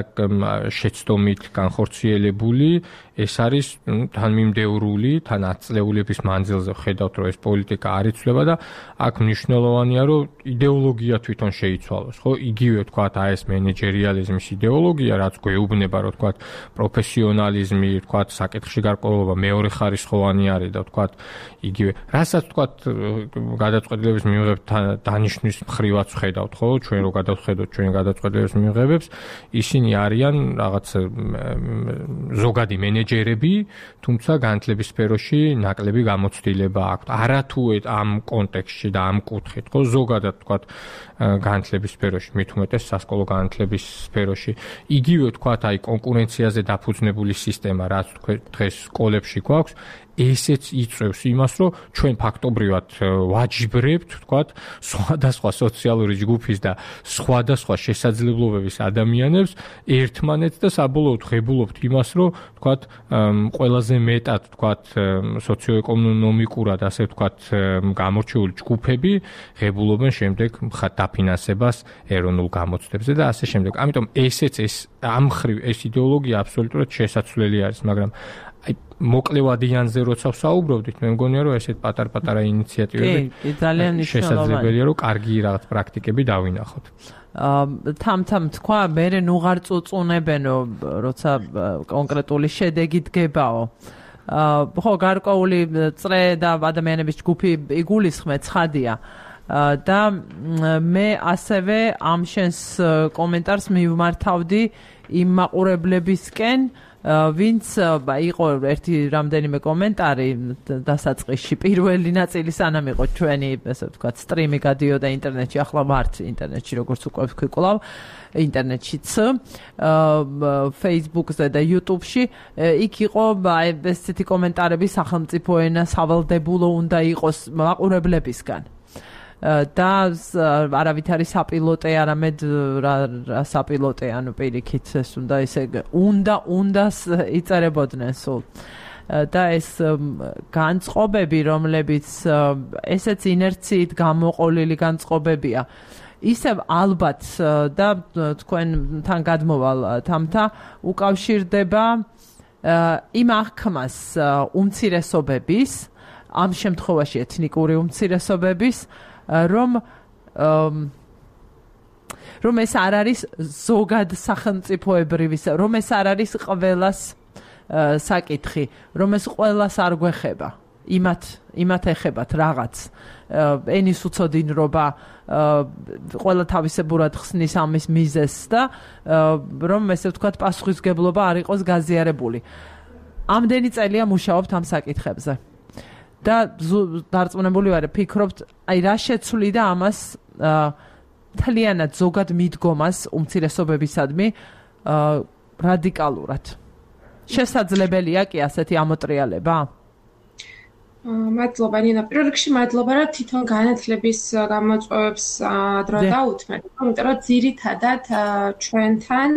შეცდომით განხორციელებული, ეს არის თანმიმდევრული, თან ათწლეულების მანძილზე ხედავთ რომ ეს პოლიტიკა არ იცვლება და აქ მნიშვნელოვანია რომ იდეოლოგია თვითონ შეიცვალოს, ხო? იგივე ვთქვათ აი ეს მენეჯერიალიზმის იდეოლოგია, რაც გვეუბნება რომ ვთქვათ პროფესიონალიზმი, ვთქვათ საკითხში გარკვეულობა მეორე ხარისხოვანი არის და ვთქვათ იგივე რასაც ვთქვათ გადაწყვეტილების მიღებთ დანიშნვის მხრივაც ხედავთ, ხო? ჩვენ რო გადავხედოთ ჩვენ გადაწყვეტილების მიღებებს, ისინი არიან რაღაც ზოგადი მენეჯერები, თუმცა განათლების სფეროში ნაკლები გამოცდილება აქვთ. არათუ ამ კონტექსტში და ამ კუთხით, ხო, ზოგადად ვთქვათ განათლების სფეროში, მით უმეტეს სასკოლო განათლების სფეროში. იგივე ვთქვათ, აი კონკურენციაზე დაფუძნებული სისტემა, რაც დღეს სკოლებში გვაქვს, ესეც იწევს იმას, რომ ჩვენ ფაქტობრივად ვაჯიბრებთ, ვთქვათ, სხვადასხვა სოციალური ჯგუფის და სხვადასხვა შესაძლებლობების ადამიანებს ერთმანეთს და საბოლოოდ ღებულობთ იმას, რომ ვთქვათ, ყველაზე მეტად, ვთქვათ, სოციოეკონომიკურად, ასე ვთქვათ, გამორჩეული ჯგუფები ღებულობენ შემდეგ დაფინანსებას ეროვნულ გამოცდებზე და ასე შემდეგ. ამიტომ ესეც ეს ამ მხრივ ეს იდეოლოგია აბსოლუტურად შესაძლებელი არის, მაგრამ აი მოკლევადიანზე როცა ვსაუბრობდით, მე მგონია რომ ესეთ პატარ-პატარა ინიციატივები კი, ძალიან შესაძლებელია რომ კარგი რაღაც პრაქტიკები დავინახოთ. თამ-თამ თქვა, მე ნუღარ წუწუნებენო, როცა კონკრეტული შედეგი დგებაო. ხო, გარკვეული წრე და ადამიანების ჯგუფი იგულისხმე ცხადია. და მე ასევე ამ შენს კომენტარს მივმართავდი იმ მაყურებლებისკენ, ვინც იყო ერთი რამდენიმე კომენტარი დასაწყისში, პირველი ნაწილი სანამ იყო ჩვენი, ესე ვთქვათ, სტრიმი გადიოდა ინტერნეტში, ახლა ვართ ინტერნეტში, როგორც უკვე ვქვიკლავ, ინტერნეტშიც, Facebook-ზე და YouTube-ში, იქ იყო ესეთი კომენტარები, სახელმწიფო ენა სავალდებულო უნდა იყოს მაყურებლებისგან. და არავით არის საპილოტე, არამედ რა საპილოტე, ანუ პირიქით ეს უნდა ისე უნდა უნდას იწერებოდნენ სულ. და ეს განწყობები, რომლებიც ესეც ინერციით გამოყოლილი განწყობებია, ისევ ალბათ და თქვენთან გადმოვალ თამთა უკავშირდება იმ აღქმას უმცირესობების, ამ შემთხვევაში ეთნიკური უმცირესობების, რომ რომ ეს არ არის ზოგად სახელმწიფოებრივი, რომ ეს არ არის ყველას საკითხი, რომ ეს ყველას არ გვეხება, იმათ იმათ ეხებათ რაღაც ენის უცოდინრობა, ყველა თავისებურად ხსნის ამის მიზეზს და რომ ესე ვთქვათ პასუხისმგებლობა არ იყოს გაზიარებული. ამდენი წელია მუშაობთ ამ საკითხებზე. და დარწმუნებული ვარ, ფიქრობთ, აი რა შეცვლიდა ამას თლიანად ზოგად მიდგომას უმცირესობებისადმი რადიკალურად. შესაძლებელია კი ასეთი ამოტრიალება? მადლობა ნინა, პირველ რიგში მადლობა რა თვითონ განათლების გამოწვევებს დრო დაუთმეთ, იმიტომ რომ ძირითადად ჩვენთან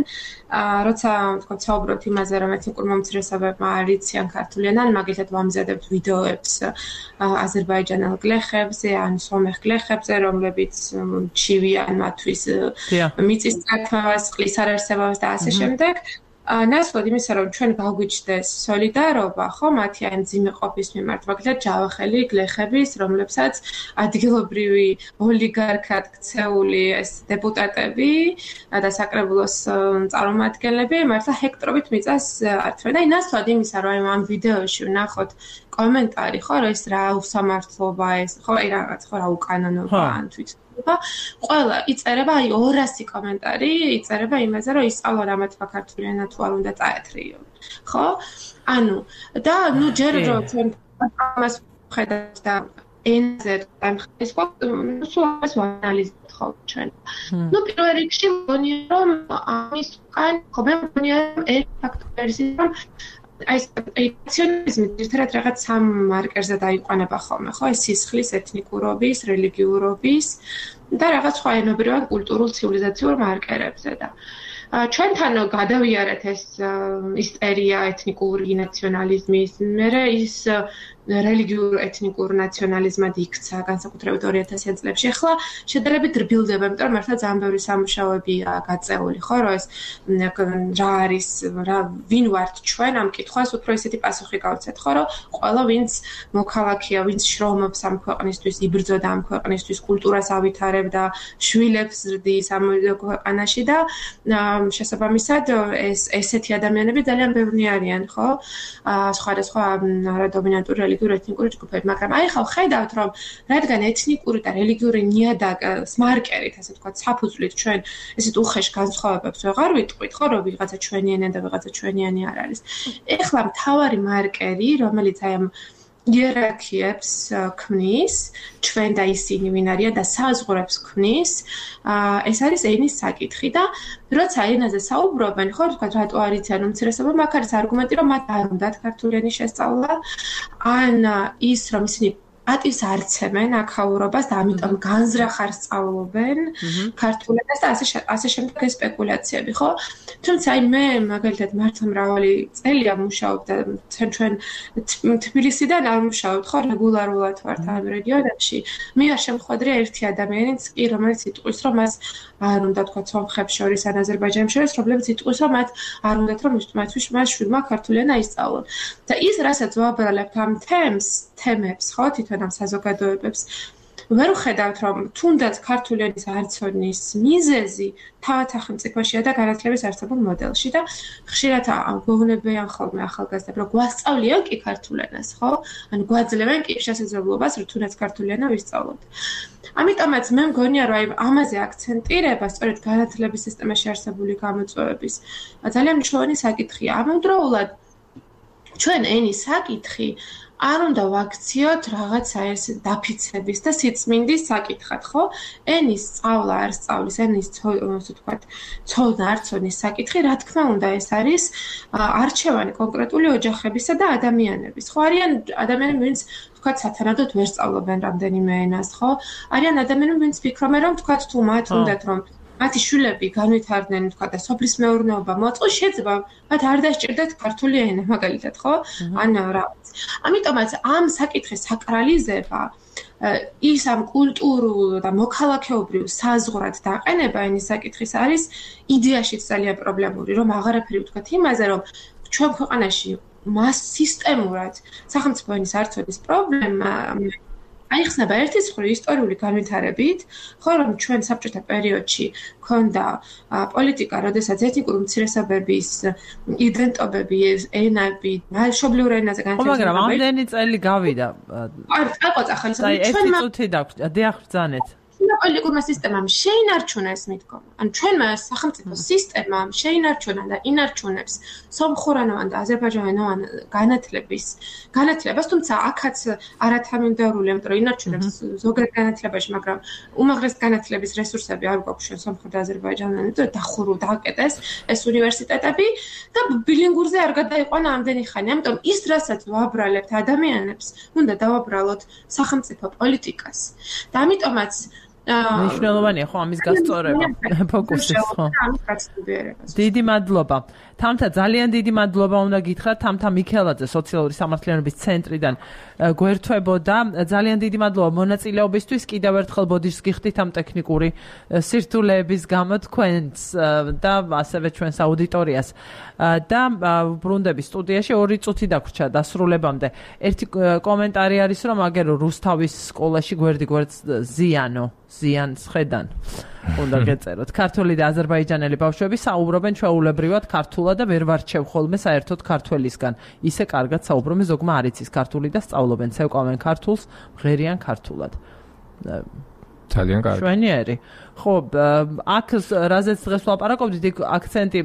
როცა თქვა საუბრობთ იმაზე რომ ეთნიკურ მომცირესობებმა არ იციან ქართული ენა, მაგალითად ვამზადებთ ვიდეოებს აზერბაიჯანელ გლეხებზე ან სომეხ გლეხებზე, რომლებიც ჩივიან მათთვის მიწის წართვას, წყლის არარსებობას და ასე შემდეგ. ნაცვლად იმისა, რომ ჩვენ გავგვიჩნდეს სოლიდარობა, ხო, მათი ან ძიმე ყოფის მიმართ, მაგალითად ჯავახელი გლეხების, რომლებსაც ადგილობრივი ოლიგარქად ქცეული ეს დეპუტატები და საკრებულოს წარმომადგენლები მართლა ჰექტრობით მიწას ართმევენ. და ნაცვლად იმისა, რომ ამ ვიდეოში ვნახოთ კომენტარი, ხო, რომ ეს რა უსამართლობა ეს, ხო, აი რაღაც, ხო, რა უკანონობა ან თვით ყველა იწერება აი ორასი კომენტარი იწერება იმაზე რომ ისწავლონ ამათმა ქართული ენა თუ არ უნდა წაეთრიონ ხო ანუ და ნუ ჯერ რომ ჩვენ ამას ხედავთ და ენზე ამ ხის ხო სულ ამას ვანალიზებთ ხო ჩვენ ნუ პირველ რიგში მგონია რომ ამის უკან ხო მე მგონია რომ ერთ ფაქტორი რომ აი ეთნიციზმი ერთად რაღაც სამ მარკერზე დაიყვანება ხოლმე ხო ეს სისხლის ეთნიკურობის რელიგიურობის და რაღაც სხვა ენობრივად კულტურულ ცივილიზაციურ მარკერებზე და ჩვენთან გადავიარეთ ეს ისტერია ეთნიკური ნაციონალიზმის მერე ის რელიგიურ ეთნიკურ ნაციონალიზმად იქცა განსაკუთრებით ორი ათასიან წლებში. ახლა შედარებით რბილდება, იმიტომ რომ მართლა ძალიან ბევრი სამუშაოებია გაწეული, ხო, რომ ეს რა არის, რა ვინ ვართ ჩვენ ამ კითხვას უფრო ისეთი პასუხი გავცეთ, ხო, რომ ყველა ვინც მოქალაქეა, ვინც შრომობს ამ ქვეყნისთვის, იბრძოდა ამ ქვეყნისთვის, კულტურას ავითარებდა, შვილებს ზრდის ამ ქვეყანაში და შესაბამისად ეს ესეთი ადამიანები ძალიან ბევრი არიან, ხო? სხვადასხვა არადომინანტური რელიგიური ეთნიკური ჯგუფები, მაგრამ აი ხა ხედავთ რომ რადგან ეთნიკური და რელიგიური ნიადაგის მარკერით, ასე ვთქვათ, საფუძვლით ჩვენ ესეთ უხეშ განსხვავებებს ვეღარ ვიტყვით, ხო, რომ ვიღაცა ჩვენიანი და ვიღაცა ჩვენიანი არ არის. ეხლა მთავარი მარკერი, რომელიც აი ამ იერარქიებს ქმნის, ჩვენ და ისინი ვინ არიან და საზღვრებს ქმნის, ეს არის ენის საკითხი და როცა ენაზე საუბრობენ, ხო, თქვა რატო არ იციან უმცირესობა, მაგ არის არგუმენტი, რომ მათ არ უნდათ ქართული ენის შესწავლა, ან ის, რომ ისინი პატივს არცემენ აქაურობას და ამიტომ განზრახარ სწავლობენ ქართულ ენას და ასე ასე შემდეგ ეს სპეკულაციები, ხო? თუმცა აი მე მაგალითად მართლა მრავალი წელია მუშაობ და ჩვენ თბილისიდან არ მუშაობთ, ხო, რეგულარულად ვართ ამ რეგიონებში. მე არ შემხვედრია ერთი ადამიანიც კი, რომელიც იტყვის, რომ მას არ უნდა თქვა სომხებს შორის ან აზერბაიჯანელებს შორის, რომლებიც იტყვის, რომ მათ არ უნდათ რომ მათთვის მას შვილმა ქართული ენა ისწავლონ. და ის რასაც ვაბრალებთ ამ თემს, თემებს, ხო, თვითონ ამ საზოგადოებებს ვერ ვხედავთ რომ თუნდაც ქართული ენის არცოდნის მიზეზი თავად სახელმწიფოშია და განათლების არსებულ მოდელში და ხშირად გვეუბნებიან ხოლმე ახალგაზრდებს რომ გვასწავლიან კი ქართულ ენას ხო ან გვაძლევენ კი შესაძლებლობას რომ თუნდაც ქართული ენა ვისწავლოთ. ამიტომაც მე მგონია რომ აი ამაზე აქცენტირება სწორედ განათლების სისტემაში არსებული გამოწვევების ძალიან მნიშვნელოვანი საკითხია. ამავდროულად ჩვენ ენის საკითხი არ უნდა ვაქციოთ რაღაცა ეს დაფიცების და სიწმინდის საკითხად, ხო? ენის სწავლა არ სწავლის, ენის ასე ვთქვათ, ცოდნა არ ცოდნის საკითხი, რა თქმა უნდა, ეს არის არჩევანი კონკრეტული ოჯახებისა და ადამიანების. ხო, არიან ადამიანები, ვინც ვთქვათ, სათანადოდ ვერ სწავლობენ რამდენიმე ენას, ხო? არიან ადამიანები, ვინც ფიქრობენ, რომ ვთქვათ, თუ მათ უნდათ რომ მათი შვილები განვითარდნენ, თქვა და სოფლის მეურნეობა მოაწყოს, შეიძლება მათ არ დასჭირდათ ქართული ენა, მაგალითად, ხო? ან რაღაც. ამიტომაც ამ საკითხის საკრალიზება ის ამ კულტურულ და მოქალაქეობრივ საზღვრად დაყენება ენის საკითხის არის იდეაშიც ძალიან პრობლემური, რომ აღარაფერი ვთქვათ იმაზე, რომ ჩვენ ქვეყანაში მას სისტემურად სახელმწიფო ენის არცოდნის პრობლემა აიხსნება ერთის მხრივ ისტორიული განვითარებით, ხო რომ ჩვენ საბჭოთა პერიოდში ქონდა პოლიტიკა, როდესაც ეთნიკური უმცირესობების იდენტობები, ენები, მშობლიურ ენაზე განვითარდა. მაგრამ ამდენი წელი გავიდა. არ წაყვაცა ხალხი. აი, ერთი წუთი დაგვჭირდა, დიახ, ბრძანეთ. პოლიტიკურმა სისტემამ შეინარჩუნა ეს მიდგომა. ანუ ჩვენმა სახელმწიფო სისტემამ შეინარჩუნა და ინარჩუნებს სომხურენოვან და აზერბაიჯანულენოვან განათლების განათლებას, თუმცა აქაც არათამინდეურული, იმიტომ რომ ინარჩუნებს ზოგიერთ განათლებაში, მაგრამ უმაღლეს განათლების რესურსები არ გვაქვს ჩვენ სომხურ და აზერბაიჯანულენოვან, დახურულ დააკეტეს ეს უნივერსიტეტები და ბილინგურზე არ გადაიყვანა ამდენი ხანი. ამიტომ ის, რასაც ვაბრალებთ ადამიანებს, უნდა დავაბრალოთ სახელმწიფო პოლიტიკას. და ამიტომაც მნიშვნელოვანია ხო ამის გასწორება, ფოკუსი ხო. დიდი მადლობა. თამთა ძალიან დიდი მადლობა უნდა გითხრათ თამთა მიქელაძე სოციალური სამართლიანობის ცენტრიდან გვერთვებოდა. ძალიან დიდი მადლობა მონაწილეობისთვის. კიდევ ერთხელ ბოდიშს გიხდით ამ ტექნიკური სირთულეების გამო თქვენს და ასევე ჩვენს აუდიტორიას. და ბრუნდები სტუდიაში ორი წუთი დაგვრჩა დასრულებამდე. ერთი კომენტარი არის რომ აგერო რუსთავის სკოლაში გვერდი გვერდს ზიანო ზიანს ხედან. უნდა გეწეროთ. ქართული და აზერბაიჯანელი ბავშვები საუბრობენ ჩვეულებრივად ქართულად და ვერ ვარჩევ ხოლმე საერთოდ ქართველისგან. ისე კარგად საუბრობენ, ზოგმა არ იცის ქართული და სწავლობენ, ცევკავენ ქართულს, მღერიან ქართულად. ძალიან კარგი. შვენიერი. ხო, აქ რაზეც დღეს ვლაპარაკობდით, იქ აქცენტი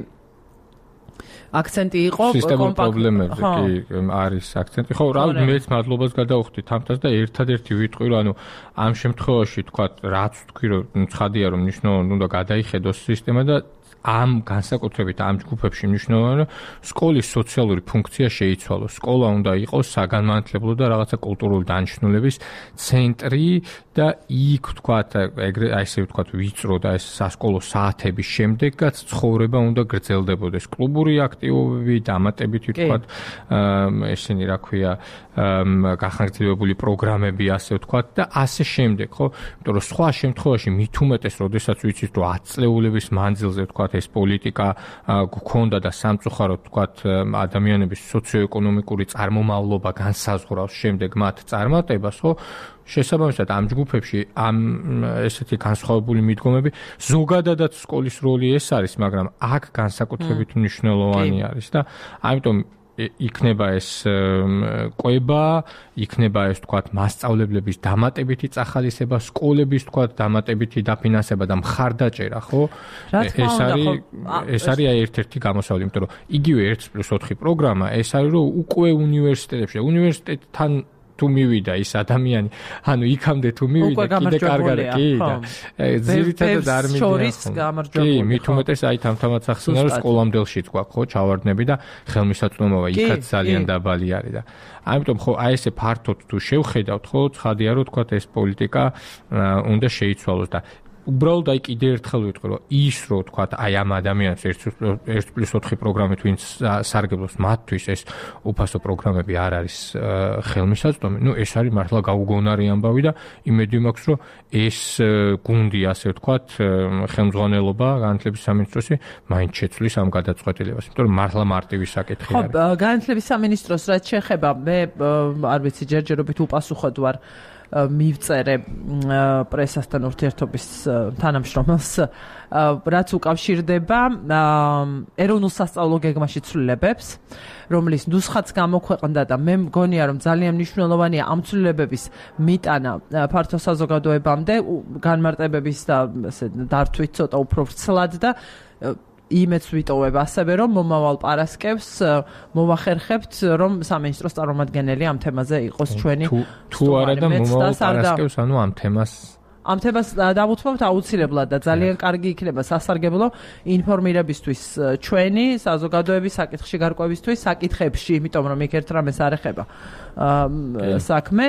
აქცენტი იყო სისტემურ პრობლემებზე კი არის აქცენტი. ხო, რა მეც მადლობას გადავხდი თამთას და ერთადერთი ვიტყვი რომ ანუ ამ შემთხვევაში თქვა რაც თქვი რომ ცხადია რომ მნიშვნელოვნად უნდა გადაიხედოს სისტემა და ამ განსაკუთრებით ამ ჯგუფებში მნიშვნელოვანია სკოლის სოციალური ფუნქცია შეიცვალოს. სკოლა უნდა იყოს საგანმანათლებლო და რაღაცა კულტურული დანიშნულების ცენტრი და იქ თქვათ ეგრე ასე ვთქვათ ვიწრო და ეს სასკოლო საათების შემდეგაც ცხოვრება უნდა გრძელდებოდეს. კლუბური აქტივობები, დამატებითი ვთქვათ ესენი რა ქვია გახანგრძლივებული პროგრამები ასე ვთქვათ და ასე შემდეგ, ხო? იმიტომ რომ სხვა შემთხვევაში მით უმეტეს, როდესაც ვიცით რომ ათი წლეულების მანძილზე ვთქვათ ეს პოლიტიკა გქონდა და სამწუხაროდ ვთქვათ ადამიანების სოციოეკონომიკური წარმომავლობა განსაზღვრავს შემდეგ მათ წარმატებას, ხო? შესაბამისად ამ ჯგუფებში ამ ესეთი განსხვავებული მიდგომები ზოგადადაც სკოლის როლი ეს არის, მაგრამ აქ განსაკუთრებით მნიშვნელოვანი არის და ამიტომ იქნება ეს კვება, იქნება ეს თქვათ მასწავლებლების დამატებითი წახალისება, სკოლების თქვათ დამატებითი დაფინანსება და მხარდაჭერა, ხო? ეს არის ეს არის ერთ-ერთი გამოსავალი, იმიტომ რომ იგივე ერთი პლუს ოთხი პროგრამა, ეს არის რომ უკვე უნივერსიტეტებში, უნივერსიტეტთან თუ მივიდა ის ადამიანი, ანუ იქამდე თუ მივიდა, კიდე კარგად კი და ძირითადად არ მიდიან. კი, მით უმეტეს აი თამთამაც ახსნა რომ სკოლამდელშიც გვაქვს ხო ჩავარდნები და ხელმისაწვდომობა იქაც ძალიან დაბალი არის და ამიტომ ხო აი ესე ფართოდ თუ შევხედავთ ხო ცხადია რომ თქვა ეს პოლიტიკა უნდა შეიცვალოს და უბრალოდ აი კიდე ერთხელ ვიტყვი რომ ის რო თქვა აი ამ ადამიანებს ერთი პლუს ოთხი პროგრამით ვინც სარგებლობს მათთვის ეს უფასო პროგრამები არ არის ხელმისაწვდომი. ნუ ეს არის მართლა გაუგონარი ამბავი და იმედი მაქვს რომ ეს გუნდი ასე ვთქვა ხელმძღვანელობა განათლების სამინისტროსი მაინც შეცვლის ამ გადაწყვეტილებას. იმიტომ რომ მართლა მარტივი საკითხი არის. ხო, განათლების სამინისტროს რაც შეეხება მე არ ვიცი ჯერჯერობით უპასუხოდ ვარ მივწერე პრესასთან ურთიერთობის თანამშრომელს რაც უკავშირდება ეროვნულ სასწავლო გეგმაში ცვლილებებს, რომლის ნუსხაც გამოქვეყნდა და მე მგონია რომ ძალიან მნიშვნელოვანია ამ ცვლილებების მიტანა ფართო საზოგადოებამდე, განმარტებების და ესე დართვით ცოტა უფრო ვრცლად და იმეც ვიტოვებ ასევე რომ მომავალ პარასკევს მოვახერხებთ რომ სამინისტროს წარმომადგენელი ამ თემაზე იყოს ჩვენი თუ არა და მომავალ პარასკევს ანუ ამ თემას ამ თემას დავუთმობთ აუცილებლად და ძალიან კარგი იქნება სასარგებლო ინფორმირებისთვის ჩვენი საზოგადოების საკითხში გარკვევისთვის საკითხებში, იმიტომ რომ იქ ერთ რამეს არ ეხება საქმე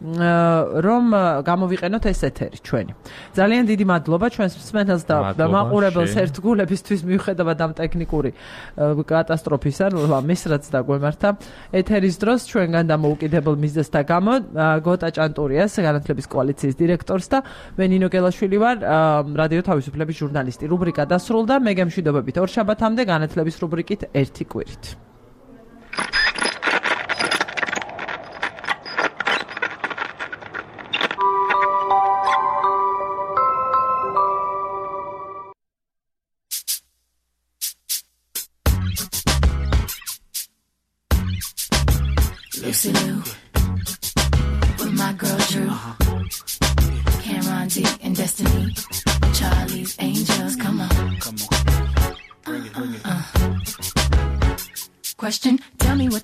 რომ გამოვიყენოთ ეს ეთერი ჩვენი. ძალიან დიდი მადლობა ჩვენს მსმენელს და მაყურებელს ერთგულებისთვის მიუხედავად ამ ტექნიკური კატასტროფისა, მის რაც დაგვემართა ეთერის დროს ჩვენგან დამოუკიდებელ მიზეზთა გამო გოტა ჭანტურიას, განათლების კოალიციის დირექტორს და მე ნინო გელაშვილი ვარ, რადიო თავისუფლების ჟურნალისტი. რუბრიკა დასრულდა, მე გემშვიდობებით ორ შაბათამდე განათლების რუბრიკით ერთი კვირით. Lucy Liu with my girl Drew, Cameron D and Destiny.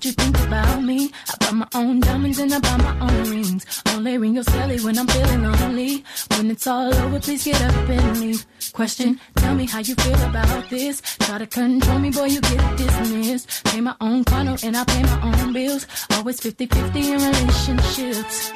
what you think about me. I buy my own diamonds and I buy my own rings. Only ring your celly when I'm feeling lonely. When it's all over, please get up and leave. Question, tell me how you feel about this. Try to control me, boy, you get dismissed. Pay my own condo and I pay my own bills. Always fifty-fifty in relationships.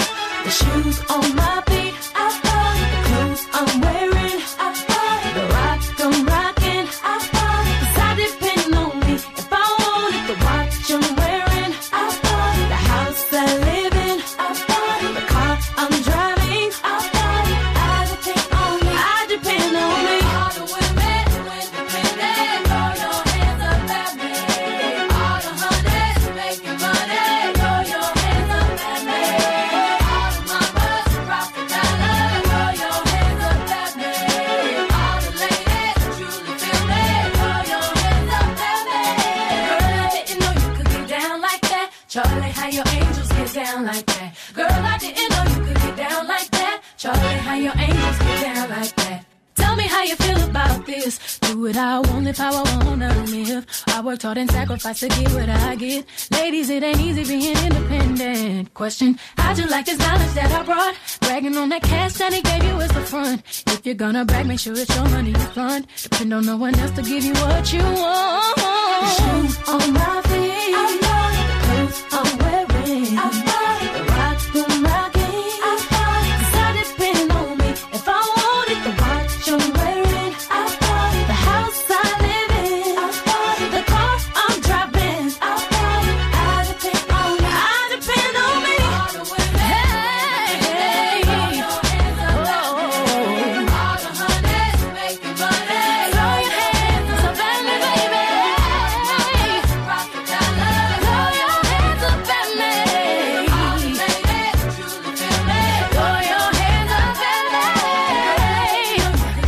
The shoes on my feet, I bought it. The clothes I'm wearing, I bought it. The rock I'm rocking, I bought it. 'Cause I depend on me. If I want it, the watch I'm wearing, I bought it. The house I live in, I bought it. The car I'm driving, I bought it. I depend on me. I depend on me. All the women who independent, throw your hands up at me. All the honeys making money, throw your hands up at me. All the mamas rocking dollar, throw your hands up at me. All the ladies truly feel me, throw your hands up at me. Girl, I didn't know you could get down like that. Charlie, how your angels get down like that. Girl, I didn't know you could get down like that. Charlie, how your angels get down like that. Tell me how you feel about this. Do it how I want, live how I wanna live. I worked hard and sacrificed to get what I get. Ladies, it ain't easy being independent. Question, how'd you like this knowledge that I brought? Bragging on that cash that he gave you as the front. If you're gonna brag, make sure it's your money you front. Depend on no one else to give you what you want. The shoes on my feet, I bought it. The clothes I'm wearing, I bought it. The rock I'm rocking, I bought it. 'Cause I depend on me. If I want it, the watch I'm wearing, I bought it. The house I live in, I bought it. The car I'm driving, I bought it. I depend on me. I depend on me. All the women, hey, throw your hands up at me. All the honeys making money, throw your hands up at me, baby. Rock the dollar, throw your hands up at me. All the ladies truly feel me, throw your hands up at me.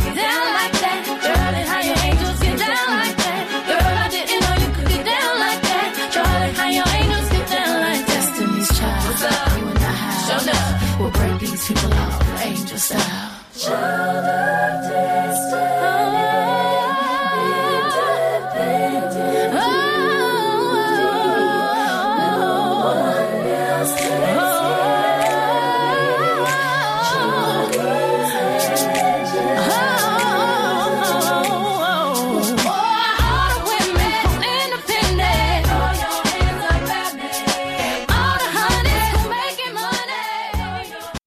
Get down like that, Charlie, how your angels get down like that. Girl, I didn't know you could get down like that. Charlie, how your angels get down like that. Destiny's Child, what's up? You and I have, show up. We'll break these people off, angel style. Child of destiny.